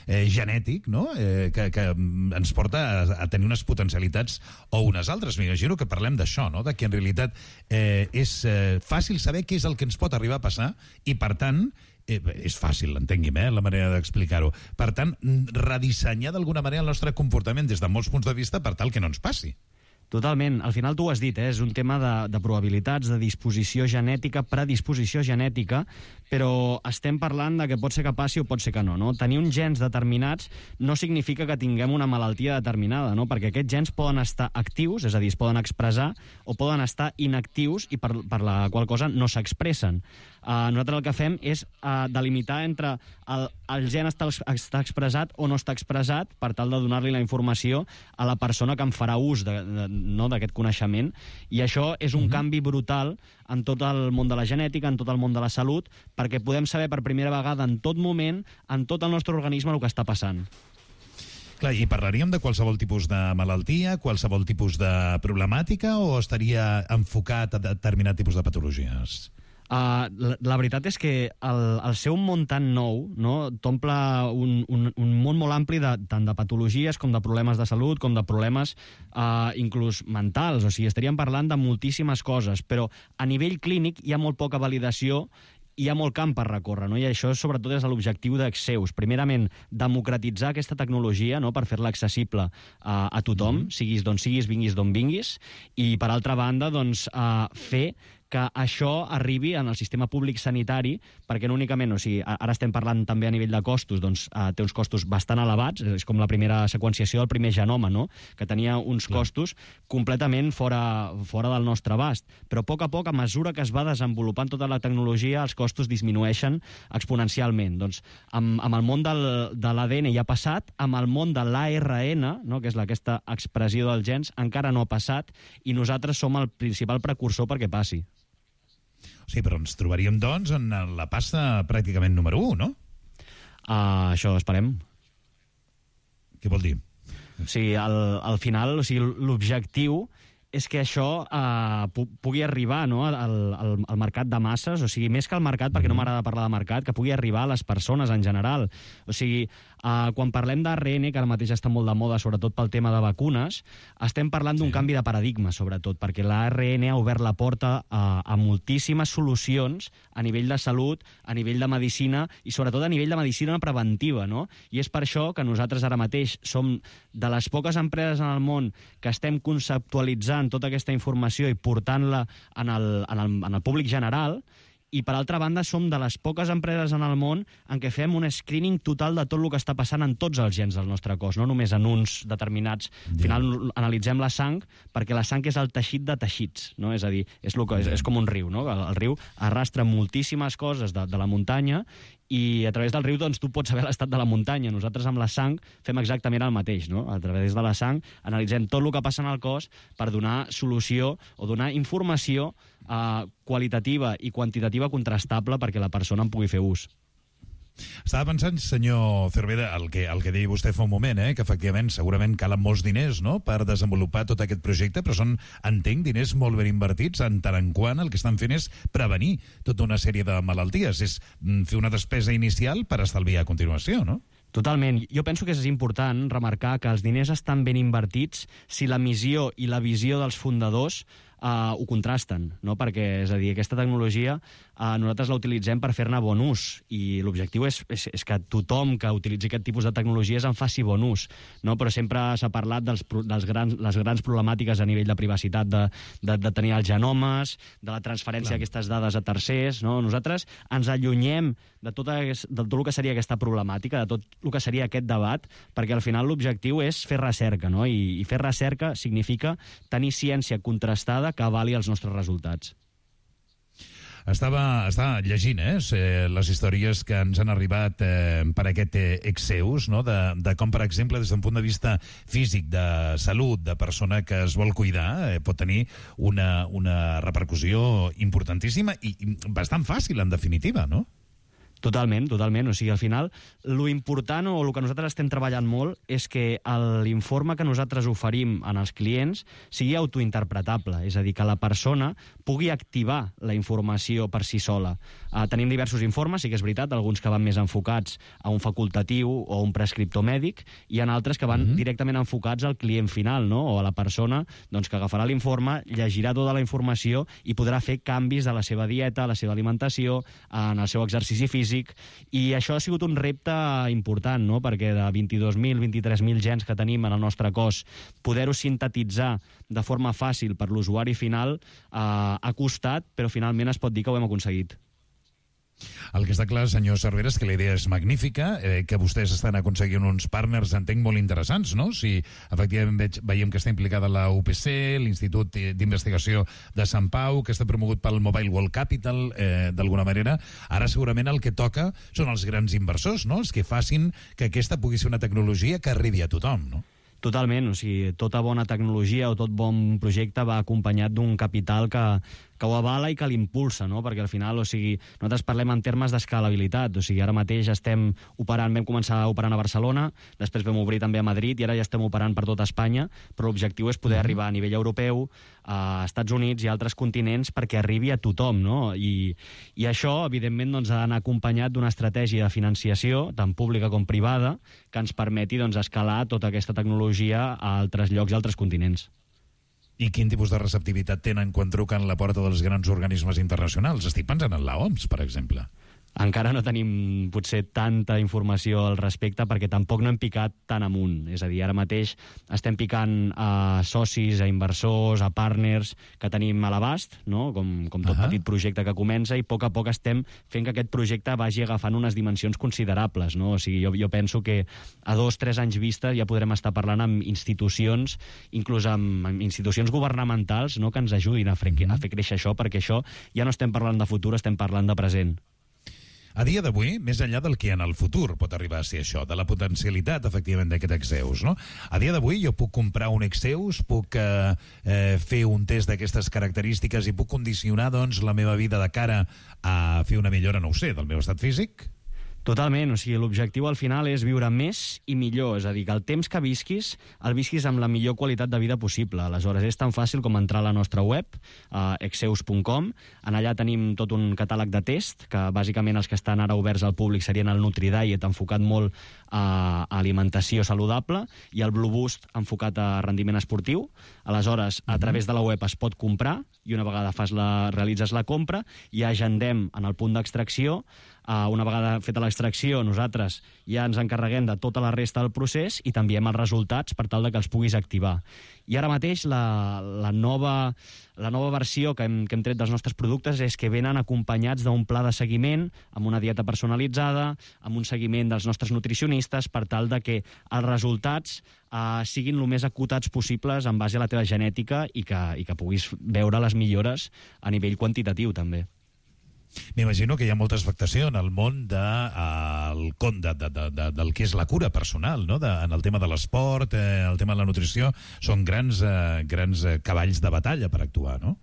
eh, genètic, no?, eh, que, que ens porta a, a tenir unes potencialitats o unes altres. M'imagino que parlem d'això, no?, de que en realitat eh, és eh, fàcil saber què és el que ens pot arribar a passar i, per tant, eh, és fàcil, entengui'm, eh, la manera d'explicar-ho. Per tant, redissenyar d'alguna manera el nostre comportament des de molts punts de vista per tal que no ens passi. Totalment. Al final tu ho has dit, eh? És un tema de, de probabilitats, de disposició genètica, predisposició genètica, però estem parlant de que pot ser que passi o pot ser que no, no? Tenir uns gens determinats no significa que tinguem una malaltia determinada, no? Perquè aquests gens poden estar actius, és a dir, es poden expressar, o poden estar inactius i per, per la qual cosa no s'expressen. Uh, nosaltres el que fem és uh, delimitar entre el, el gen està, està expressat o no està expressat per tal de donar-li la informació a la persona que en farà ús de, de, no, d'aquest coneixement, i això és un uh-huh. canvi brutal en tot el món de la genètica, en tot el món de la salut, perquè podem saber per primera vegada en tot moment, en tot el nostre organisme, el que està passant. Clar, i parlaríem de qualsevol tipus de malaltia, qualsevol tipus de problemàtica, o estaria enfocat a determinat tipus de patologies? Uh, la, la veritat és que el, el ser un món tan nou, no, t'omple un, un, un món molt ampli de, tant de patologies com de problemes de salut, com de problemes uh, inclús mentals. O sigui, estaríem parlant de moltíssimes coses, però a nivell clínic hi ha molt poca validació, hi ha molt camp per recórrer, no? I això sobretot és l'objectiu d'Exeus. Primerament, democratitzar aquesta tecnologia, no?, per fer-la accessible uh, a tothom, mm-hmm. siguis d'on siguis, vinguis d'on vinguis, i per altra banda, doncs, uh, fer que això arribi en el sistema públic sanitari, perquè no únicament, o sigui, ara estem parlant també a nivell de costos, doncs eh, té uns costos bastant elevats, és com la primera seqüenciació del primer genoma, no?, que tenia uns Clar. costos completament fora, fora del nostre abast. Però a poc a poc, a mesura que es va desenvolupant tota la tecnologia, els costos disminueixen exponencialment. Doncs amb, amb el món del, de l'A D N ja ha passat, amb el món de l'A R N, no?, que és aquesta expressió dels gens, encara no ha passat, i nosaltres som el principal precursor perquè passi. Sí, però ens trobaríem, doncs, en la passa pràcticament número u, no? Uh, això esperem. Què vol dir? Sí, al, al final, o sigui, l'objectiu és que això eh, pu pugui arribar, no?, al, al, al mercat de masses, o sigui, més que al mercat, perquè no m'agrada parlar de mercat, que pugui arribar a les persones en general. O sigui, eh, quan parlem d'A R N, que ara mateix està molt de moda, sobretot pel tema de vacunes, estem parlant d'un sí. canvi de paradigma, sobretot, perquè l'A R N ha obert la porta a, a moltíssimes solucions a nivell de salut, a nivell de medicina i sobretot a nivell de medicina preventiva, no? I és per això que nosaltres ara mateix som de les poques empreses en el món que estem conceptualitzant tota aquesta informació i portant-la en, el, en, el, en el públic general, i per altra banda som de les poques empreses en el món en què fem un screening total de tot el que està passant en tots els gens del nostre cos, no només en uns determinats. Al final analitzem la sang, perquè la sang és el teixit de teixits, no? És a dir, és, lo que, és, és com un riu, no? El, el riu arrastra moltíssimes coses de, de la muntanya, i a través del riu doncs, tu pots saber l'estat de la muntanya. Nosaltres amb la sang fem exactament el mateix, no? A través de la sang analitzem tot el que passa en el cos per donar solució o donar informació eh, qualitativa i quantitativa contrastable perquè la persona en pugui fer ús. Estava pensant, senyor Cervera, el que, el que deia vostè fa un moment, eh, que efectivament segurament calen molts diners, no?, per desenvolupar tot aquest projecte, però són, entenc, diners molt ben invertits en tant en quant el que estan fent és prevenir tota una sèrie de malalties, és fer una despesa inicial per estalviar a continuació, no? Totalment. Jo penso que és important remarcar que els diners estan ben invertits si la missió i la visió dels fundadors uh, ho contrasten, no? Perquè, és a dir, aquesta tecnologia uh, nosaltres la utilitzem per fer-ne bon ús, i l'objectiu és, és, és que tothom que utilitzi aquest tipus de tecnologies en faci bon ús, no? Però sempre s'ha parlat dels, dels grans, les grans problemàtiques a nivell de privacitat, de, de, de tenir els genomes, de la transferència d'aquestes dades a tercers, no? Nosaltres ens allunyem de tot, de tot el que seria aquesta problemàtica, de tot el que seria aquest debat, perquè al final l'objectiu és fer recerca, no? I, i fer recerca significa tenir ciència contrastada que avali els nostres resultats. Estava, estava llegint eh, les històries que ens han arribat eh, per aquest eh, Exeus, no? de, de com, per exemple, des d'un punt de vista físic, de salut, de persona que es vol cuidar, eh, pot tenir una, una repercussió importantíssima i, i bastant fàcil, en definitiva, no? Totalment, totalment. O sigui, al final, lo important o el que nosaltres estem treballant molt és que l'informe que nosaltres oferim en els clients sigui autointerpretable, és a dir, que la persona pugui activar la informació per si sola. Uh, tenim diversos informes, sí que és veritat, alguns que van més enfocats a un facultatiu o a un prescriptor mèdic, i en altres que van mm-hmm. directament enfocats al client final, no? O a la persona doncs, que agafarà l'informe, llegirà tota la informació i podrà fer canvis de la seva dieta, la seva alimentació, en el seu exercici físic. I això ha sigut un repte important, no? Perquè de vint-i-dos mil, vint-i-tres mil gens que tenim en el nostre cos, poder-ho sintetitzar de forma fàcil per l'usuari final eh, ha costat, però finalment es pot dir que ho hem aconseguit. El que està clar, senyor Cervera, és que la idea és magnífica, eh, que vostès estan aconseguint uns partners, entenc, molt interessants, no? Si efectivament veig, veiem que està implicada la U P C, l'Institut d'Investigació de Sant Pau, que està promogut pel Mobile World Capital, eh, d'alguna manera. Ara segurament el que toca són els grans inversors, no? Els que facin que aquesta pugui ser una tecnologia que arribi a tothom, no? Totalment, o sigui, tota bona tecnologia o tot bon projecte va acompanyat d'un capital que, que ho avala i que l'impulsa, no? Perquè al final, o sigui, nosaltres parlem en termes d'escalabilitat, o sigui, ara mateix estem operant, vam començar operant a Barcelona, després vam obrir també a Madrid i ara ja estem operant per tota Espanya, però l'objectiu és poder mm-hmm. arribar a nivell europeu, a Estats Units i altres continents perquè arribi a tothom, no? I, i això, evidentment, doncs, ha d'anar acompanyat d'una estratègia de financiació, tant pública com privada, que ens permeti doncs, escalar tota aquesta tecnologia a altres llocs i altres continents. I quin tipus de receptivitat tenen quan truquen a la porta dels grans organismes internacionals? Estic pensant en l'O M S, per exemple. Encara no tenim potser tanta informació al respecte perquè tampoc no hem picat tan amunt. És a dir, ara mateix estem picant a socis, a inversors, a partners que tenim a l'abast, no? com, com tot uh-huh. petit projecte que comença, i a poc a poc estem fent que aquest projecte vagi agafant unes dimensions considerables. No? O sigui, jo, jo penso que a dos, tres anys vista ja podrem estar parlant amb institucions, inclús amb, amb institucions governamentals, no? que ens ajudin a fer, uh-huh. a fer créixer això, perquè això ja no estem parlant de futur, estem parlant de present. A dia d'avui, més enllà del que en el futur pot arribar a ser això, de la potencialitat, efectivament, d'aquest Exeus, no? A dia d'avui jo puc comprar un Exeus, puc eh, eh, fer un test d'aquestes característiques i puc condicionar, doncs, la meva vida de cara a fer una millora, no ho sé, del meu estat físic? Totalment, o sigui, l'objectiu al final és viure més i millor, és a dir, que el temps que visquis, el visquis amb la millor qualitat de vida possible. Aleshores, és tan fàcil com entrar a la nostra web, uh, exeus punt com, en allà tenim tot un catàleg de test, que bàsicament els que estan ara oberts al públic serien el NutriDiet, enfocat molt a alimentació saludable, i el Blue Boost, enfocat a rendiment esportiu. Aleshores, a través de la web es pot comprar, i una vegada fas la, realitzes la compra, i agendem en el punt d'extracció. Uh, una vegada feta l'extracció, nosaltres ja ens encarreguem de tota la resta del procés i t'enviem els resultats per tal de que els puguis activar. I ara mateix la, la, nova, la nova versió que hem, que hem tret dels nostres productes és que venen acompanyats d'un pla de seguiment, amb una dieta personalitzada, amb un seguiment dels nostres nutricionistes, per tal de que els resultats uh, siguin el més acotats possibles en base a la teva genètica i que, i que puguis veure les millores a nivell quantitatiu, també. M'imagino que hi ha molta expectació en el món de, uh, el con de, de, de, de, del que és la cura personal, no? de, en el tema de l'esport, eh, el tema de la nutrició, són grans, eh, grans eh, cavalls de batalla per actuar, no?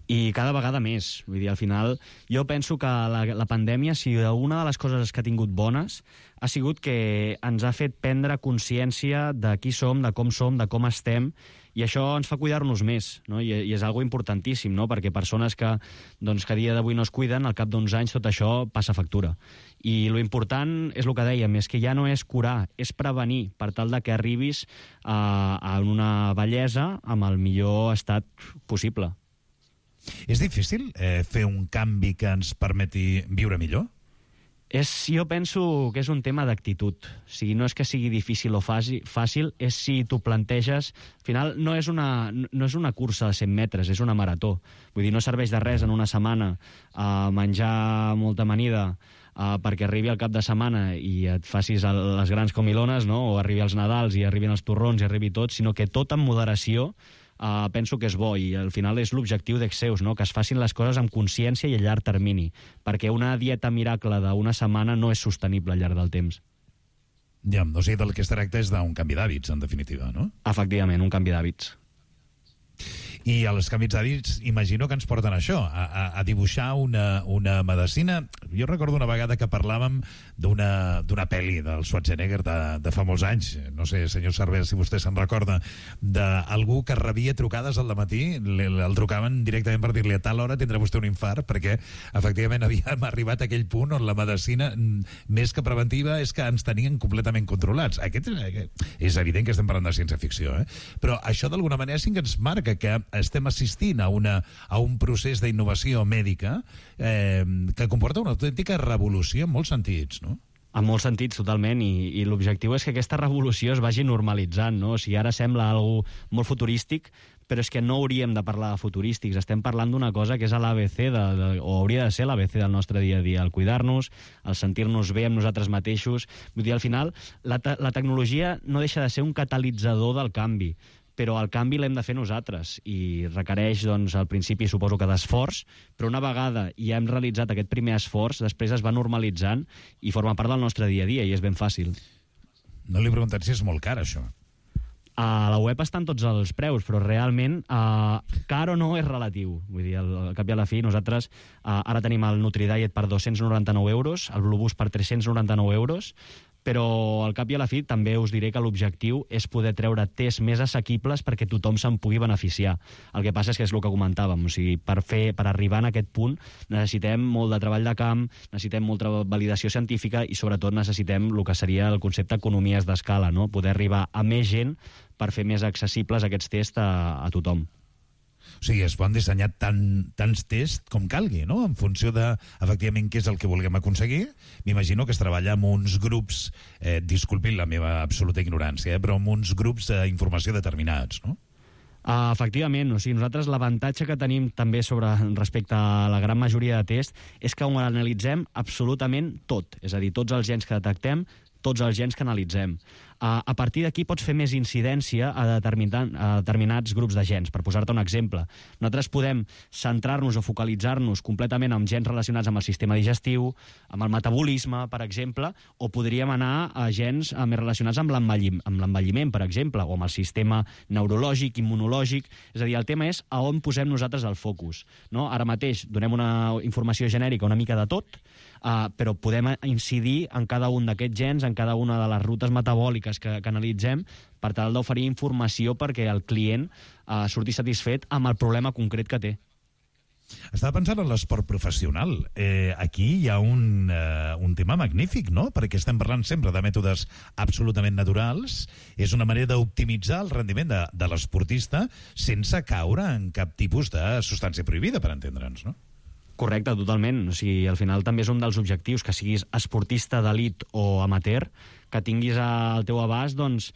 I cada vegada més. Vull dir, al final, jo penso que la, la pandèmia, si una de les coses que ha tingut bones, ha sigut que ens ha fet prendre consciència de qui som, de com som, de com estem, i això ens fa cuidar-nos més, no? I, i és algo importantíssim, no? Perquè persones que, doncs, que a dia d'avui no es cuiden, al cap d'uns anys tot això passa factura. I lo important és el que dèiem, és que ja no és curar, és prevenir, per tal de que arribis a, a una vellesa amb el millor estat possible. És difícil eh, fer un canvi que ens permeti viure millor? És, jo penso que és un tema d'actitud. O sigui, no és que sigui difícil o fàcil, fàcil és si t'ho planteges... Al final, no és, una, no és una cursa de cent metres, és una marató. Vull dir, no serveix de res en una setmana uh, menjar molta amanida uh, perquè arribi al cap de setmana i et facis el, les grans comilones, no? O arribi als Nadals i arribin els torrons i arribi tot, sinó que tot amb moderació. Uh, penso que és bo i al final és l'objectiu d'Exeus, no? Que es facin les coses amb consciència i a llarg termini, perquè una dieta miracle d'una setmana no és sostenible al llarg del temps. Ja, o sigui, del que es tracta és d'un canvi d'hàbits, en definitiva, no? Efectivament, un canvi d'hàbits. I els canvis d'hàbits, imagino que ens porten a això, a, a, a dibuixar una, una medicina. Jo recordo una vegada que parlàvem d'una d'una pel·li del Schwarzenegger de, de fa molts anys, no sé, senyor Cervera, si vostè se'n recorda, d'algú que rebia trucades al dematí, el trucaven directament per dir-li a tal hora tindrà vostè un infart, perquè efectivament havíem arribat a aquell punt on la medicina, més que preventiva, és que ens tenien completament controlats. Aquest és evident que estem parlant de ciència-ficció, eh? Però això d'alguna manera sí que ens marca que estem assistint a, una, a un procés d'innovació mèdica eh, que comporta una autèntica revolució en molts sentits, no? En molts sentits, totalment, i, i l'objectiu és que aquesta revolució es vagi normalitzant, no? O sigui, ara sembla algo molt futurístic, però és que no hauríem de parlar de futurístics, estem parlant d'una cosa que és l'A B C, de, de, o hauria de ser l'A B C del nostre dia a dia, el cuidar-nos, el sentir-nos bé amb nosaltres mateixos. Vull dir, al final, la, te la tecnologia no deixa de ser un catalitzador del canvi, però el canvi l'hem de fer nosaltres i requereix, doncs, al principi suposo que d'esforç, però una vegada ja hem realitzat aquest primer esforç, després es va normalitzant i forma part del nostre dia a dia i és ben fàcil. No li he preguntat si és molt car, això. A la web estan tots els preus, però realment uh, car o no és relatiu. Vull dir, al, al cap i a la fi, nosaltres uh, ara tenim el NutriDiet per dos-cents noranta-nou euros, el Blueboost per tres-cents noranta-nou euros, però al cap i a la fi també us diré que l'objectiu és poder treure tests més assequibles perquè tothom se'n pugui beneficiar. El que passa és que és el que comentàvem, o sigui, per, fer, per arribar a aquest punt necessitem molt de treball de camp, necessitem molta validació científica i sobretot necessitem el que seria el concepte economies d'escala, no? Poder arribar a més gent per fer més accessibles aquests tests a, a tothom. O sigui, es poden dissenyar tant, tants tests com calgui, no? En funció de, efectivament, què és el que vulguem aconseguir. M'imagino que es treballa amb uns grups, eh, disculpin la meva absoluta ignorància, eh, però amb uns grups d'informació determinats, no? Uh, efectivament, o sigui, nosaltres l'avantatge que tenim també sobre respecte a la gran majoria de tests és que ho analitzem absolutament tot, és a dir, tots els gens que detectem, tots els gens que analitzem. Uh, a partir d'aquí pots fer més incidència a, determinat, a determinats grups de gens. Per posar-te un exemple, nosaltres podem centrar-nos o focalitzar-nos completament en gens relacionats amb el sistema digestiu, amb el metabolisme, per exemple, o podríem anar a gens uh, més relacionats amb l'envelliment, per exemple, o amb el sistema neurològic, immunològic. És a dir, el tema és a on posem nosaltres el focus, no? Ara mateix donem una informació genèrica una mica de tot, uh, però podem incidir en cada un d'aquests gens, en cada una de les rutes metabòliques que, que analitzem per tal d'oferir informació perquè el client eh, surti satisfet amb el problema concret que té. Estava pensant en l'esport professional. Eh, aquí hi ha un, eh, un tema magnífic, no? Perquè estem parlant sempre de mètodes absolutament naturals. És una manera d'optimitzar el rendiment de, de l'esportista sense caure en cap tipus de substància prohibida, per entendre'ns, no? Correcte, totalment. O sigui, al final també és un dels objectius, que siguis esportista d'elit o amateur, que tinguis al teu abast doncs,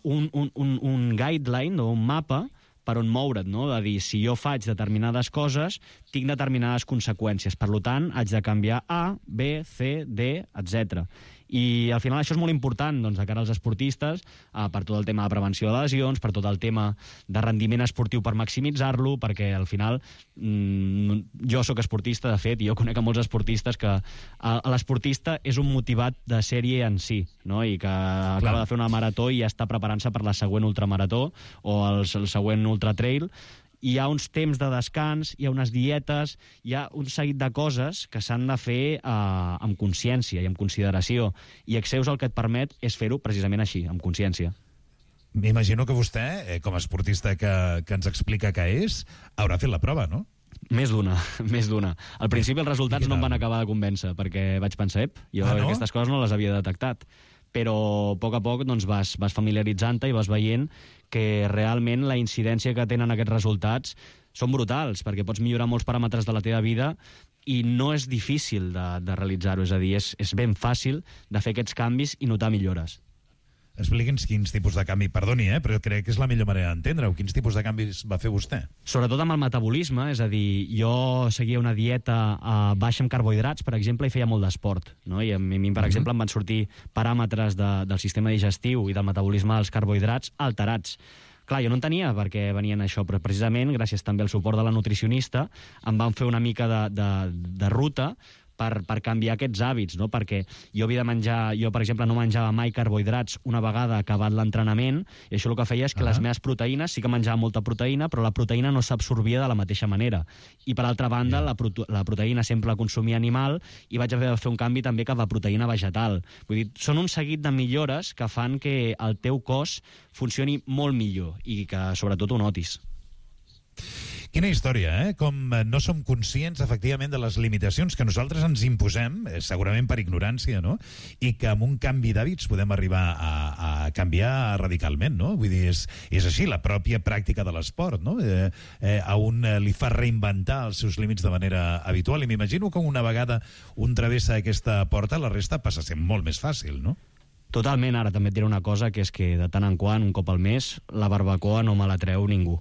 un, un, un, un guideline o un mapa per on moure't, no? De dir, si jo faig determinades coses, tinc determinades conseqüències. Per tant, haig de canviar A, B, C, D, etcètera. I al final això és molt important doncs, de cara als esportistes, eh, per tot el tema de prevenció de lesions, per tot el tema de rendiment esportiu per maximitzar-lo, perquè al final mmm, jo sóc esportista, de fet, i jo conec a molts esportistes que eh, l'esportista és un motivat de sèrie en si, no? I que acaba Clar. de fer una marató i ja està preparant-se per la següent ultramarató o el, el següent ultratrail. Hi ha uns temps de descans, hi ha unes dietes, hi ha un seguit de coses que s'han de fer eh, amb consciència i amb consideració. I Exeus el que et permet és fer-ho precisament així, amb consciència. M'imagino que vostè, eh, com a esportista que, que ens explica què és, haurà fet la prova, no? Més d'una, més d'una. Al principi els resultats no em van acabar de convèncer, perquè vaig pensar, ep, jo ah, no? aquestes coses no les havia detectat. Però a poc a poc doncs, vas, vas familiaritzant-te i vas veient que realment la incidència que tenen aquests resultats són brutals, perquè pots millorar molts paràmetres de la teva vida i no és difícil de, de realitzar-ho, és a dir, és, és ben fàcil de fer aquests canvis i notar millores. Expliqui'ns quins tipus de canvi, perdoni, eh, però crec que és la millor manera d'entendre-ho. Quins tipus de canvis va fer vostè? Sobretot amb el metabolisme, és a dir, jo seguia una dieta uh, baixa en carbohidrats, per exemple, i feia molt d'esport, no? I a mi, per uh-huh. exemple, em van sortir paràmetres de, del sistema digestiu i del metabolisme dels carbohidrats alterats. Clar, jo no en tenia perquè venien això, però precisament, gràcies també al suport de la nutricionista, em van fer una mica de, de, de ruta per, per canviar aquests hàbits, no? Perquè jo havia de menjar, jo per exemple no menjava mai carbohidrats una vegada acabat l'entrenament, i això el que feia és que ah. les meves proteïnes, sí que menjava molta proteïna, però la proteïna no s'absorbia de la mateixa manera. I per altra banda, yeah. la, prote la proteïna sempre la consumia animal, i vaig haver de fer un canvi també cap a proteïna vegetal. Vull dir, són un seguit de millores que fan que el teu cos funcioni molt millor i que sobretot ho notis. Quina història, eh? Com no som conscients, efectivament, de les limitacions que nosaltres ens imposem, segurament per ignorància, no? I que amb un canvi d'hàbits podem arribar a, a canviar radicalment, no? Vull dir, és, és així, la pròpia pràctica de l'esport, no? Eh, eh, a un li fa reinventar els seus límits de manera habitual, i m'imagino que una vegada un travessa aquesta porta, la resta passa a ser molt més fàcil, no? Totalment. Ara també et diré una cosa, que és que de tant en quant, un cop al mes, la barbacoa no me la treu ningú.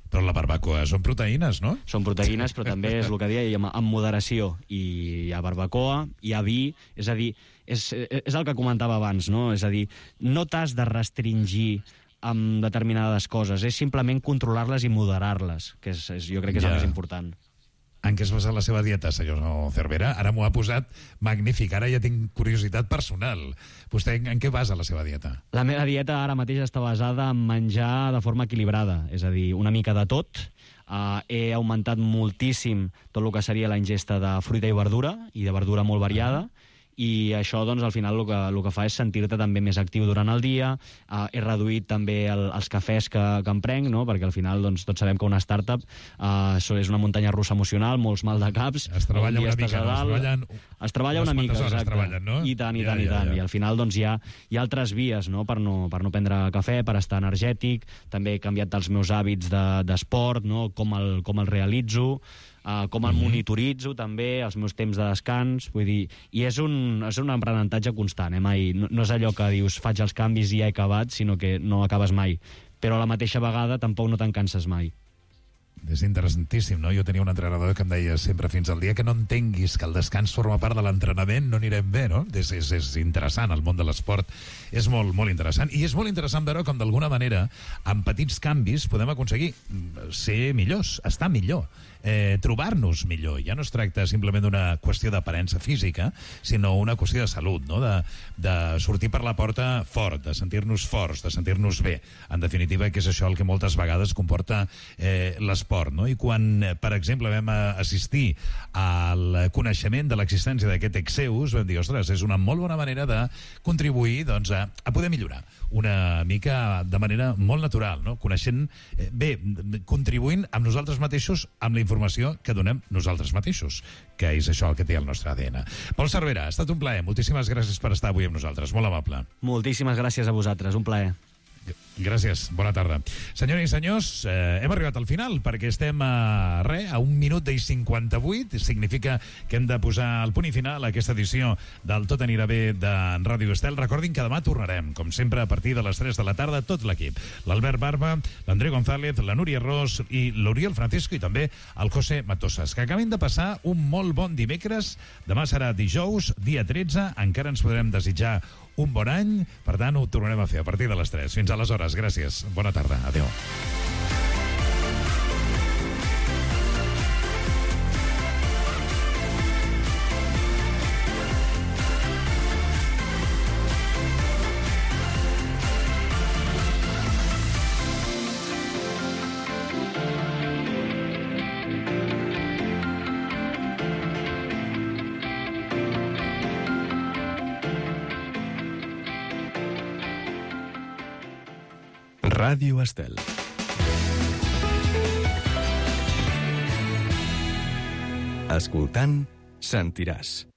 Però la barbacoa són proteïnes, no? Són proteïnes, però també és el que deia, amb, amb moderació. I hi ha barbacoa, hi ha vi, és a dir, és, és el que comentava abans, no? És a dir, no t'has de restringir amb determinades coses, és simplement controlar-les i moderar-les, que és, és, jo crec que és ja. el més important. En què es basa la seva dieta, senyor Cervera? Ara m'ho ha posat magnífic, ara ja tinc curiositat personal. Vostè en què basa la seva dieta? La meva dieta ara mateix està basada en menjar de forma equilibrada, és a dir, una mica de tot. Uh, he augmentat moltíssim tot el que seria la ingesta de fruita i verdura, i de verdura molt variada, i això, doncs, al final el que, el que fa és sentir-te també més actiu durant el dia. Uh, he reduït també el, els cafès que, que em prenc, no? Perquè al final, doncs, tots sabem que una startup uh, és una muntanya russa emocional, molts mal de caps. Es treballa una mica, no? Es treballen... Es treballa una mica, exacte. Treballen, no? I tant, i ja, tant, ja, i tant. Ja, ja. I al final, doncs, hi ha, hi ha altres vies, no? Per no, per no prendre cafè, per estar energètic. També he canviat els meus hàbits d'esport, de, no? Com el, com el realitzo. Uh, com el monitoritzo també, els meus temps de descans, vull dir, i és un, és un aprenentatge constant, eh? Mai, no, no és allò que dius faig els canvis i ja he acabat, sinó que no acabes mai, però a la mateixa vegada tampoc no te'n canses mai. És interessantíssim, no? Jo tenia un entrenador que em deia sempre, fins al dia que no entenguis que el descans forma part de l'entrenament, no anirem bé, no? És, és, és interessant, el món de l'esport és molt, molt interessant, i és molt interessant veure com d'alguna manera, amb petits canvis, podem aconseguir ser millors, estar millor, eh, trobar-nos millor. Ja no es tracta simplement d'una qüestió d'aparença física, sinó una qüestió de salut, no? De, de sortir per la porta fort, de sentir-nos forts, de sentir-nos bé. En definitiva, que és això el que moltes vegades comporta eh, l'esport, no? I quan, per exemple, vam assistir al coneixement de l'existència d'aquest Exeus, vam dir, ostres, és una molt bona manera de contribuir, doncs, a, a poder millorar una mica de manera molt natural, no? Coneixent, eh, bé, contribuint amb nosaltres mateixos, amb la informació que donem nosaltres mateixos, que és això el que té el nostre A D N. Pol Cervera, ha estat un plaer. Moltíssimes gràcies per estar avui amb nosaltres. Molt amable. Moltíssimes gràcies a vosaltres. Un plaer. Gràcies, bona tarda. Senyores i senyors, eh, hem arribat al final perquè estem a, re, a un minut i cinquanta-vuit. Significa que hem de posar el punt i final a aquesta edició del Tot anirà bé de Ràdio Estel. Recordin que demà tornarem, com sempre, a partir de les tres de la tarda, tot l'equip. L'Albert Barba, l'André González, la Núria Ros i l'Oriol Francisco i també el José Matosas. Que acabin de passar un molt bon dimecres. Demà serà dijous, dia tretze. Encara ens podrem desitjar un bon any, per tant ho tornarem a fer a partir de les tres. Fins aleshores, gràcies. Bona tarda. Adéu. Ràdio Estel. Escoltant, sentiràs.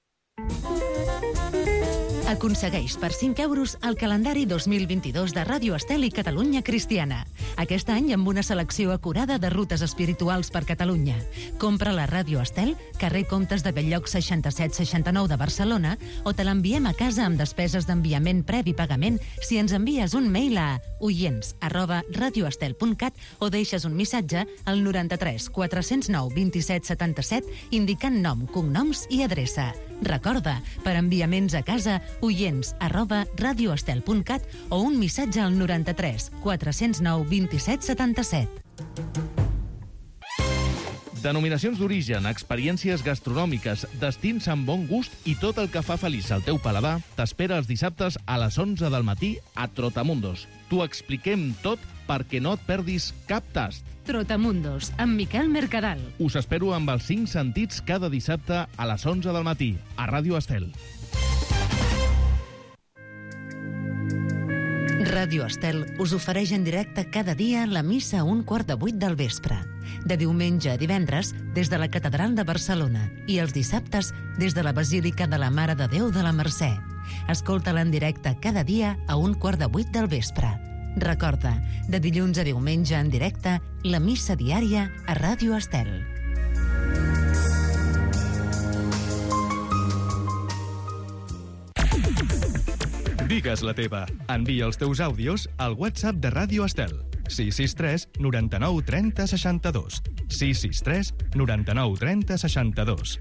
Aconsegueix per cinc euros el calendari dos mil vint-i-dos de Ràdio Estel i Catalunya Cristiana. Aquest any amb una selecció acurada de rutes espirituals per Catalunya. Compra la Ràdio Estel, carrer Comtes de Belllloc seixanta-set seixanta-nou de Barcelona, o te l'enviem a casa amb despeses d'enviament previ pagament si ens envies un mail a oients arroba radioestel punt cat o deixes un missatge al noranta-tres quatre-cents nou vint-i-set setanta-set indicant nom, cognoms i adreça. Recorda, per enviaments a casa, oients arroba radioestel punt cat o un missatge al noranta-tres quatre-cents nou vint-i-set setanta-set. Denominacions d'origen, experiències gastronòmiques, destins amb bon gust i tot el que fa feliç el teu paladar t'espera els dissabtes a les onze del matí a Trotamundos. T'ho expliquem tot perquè no et perdis cap tast. Trotamundos, amb Miquel Mercadal. Us espero amb els cinc sentits cada dissabte a les onze del matí a Ràdio Estel. Ràdio Estel us ofereix en directe cada dia la missa a un quart de vuit del vespre. De diumenge a divendres, des de la Catedral de Barcelona, i els dissabtes, des de la Basílica de la Mare de Déu de la Mercè. Escolta-la en directe cada dia a un quart de vuit del vespre. Recorda, de dilluns a diumenge en directe, la missa diària a Ràdio Estel. Digues la teva. Envia els teus àudios al WhatsApp de Ràdio Estel. sis sis tres noranta-nou trenta seixanta-dos. sis sis tres noranta-nou trenta seixanta-dos.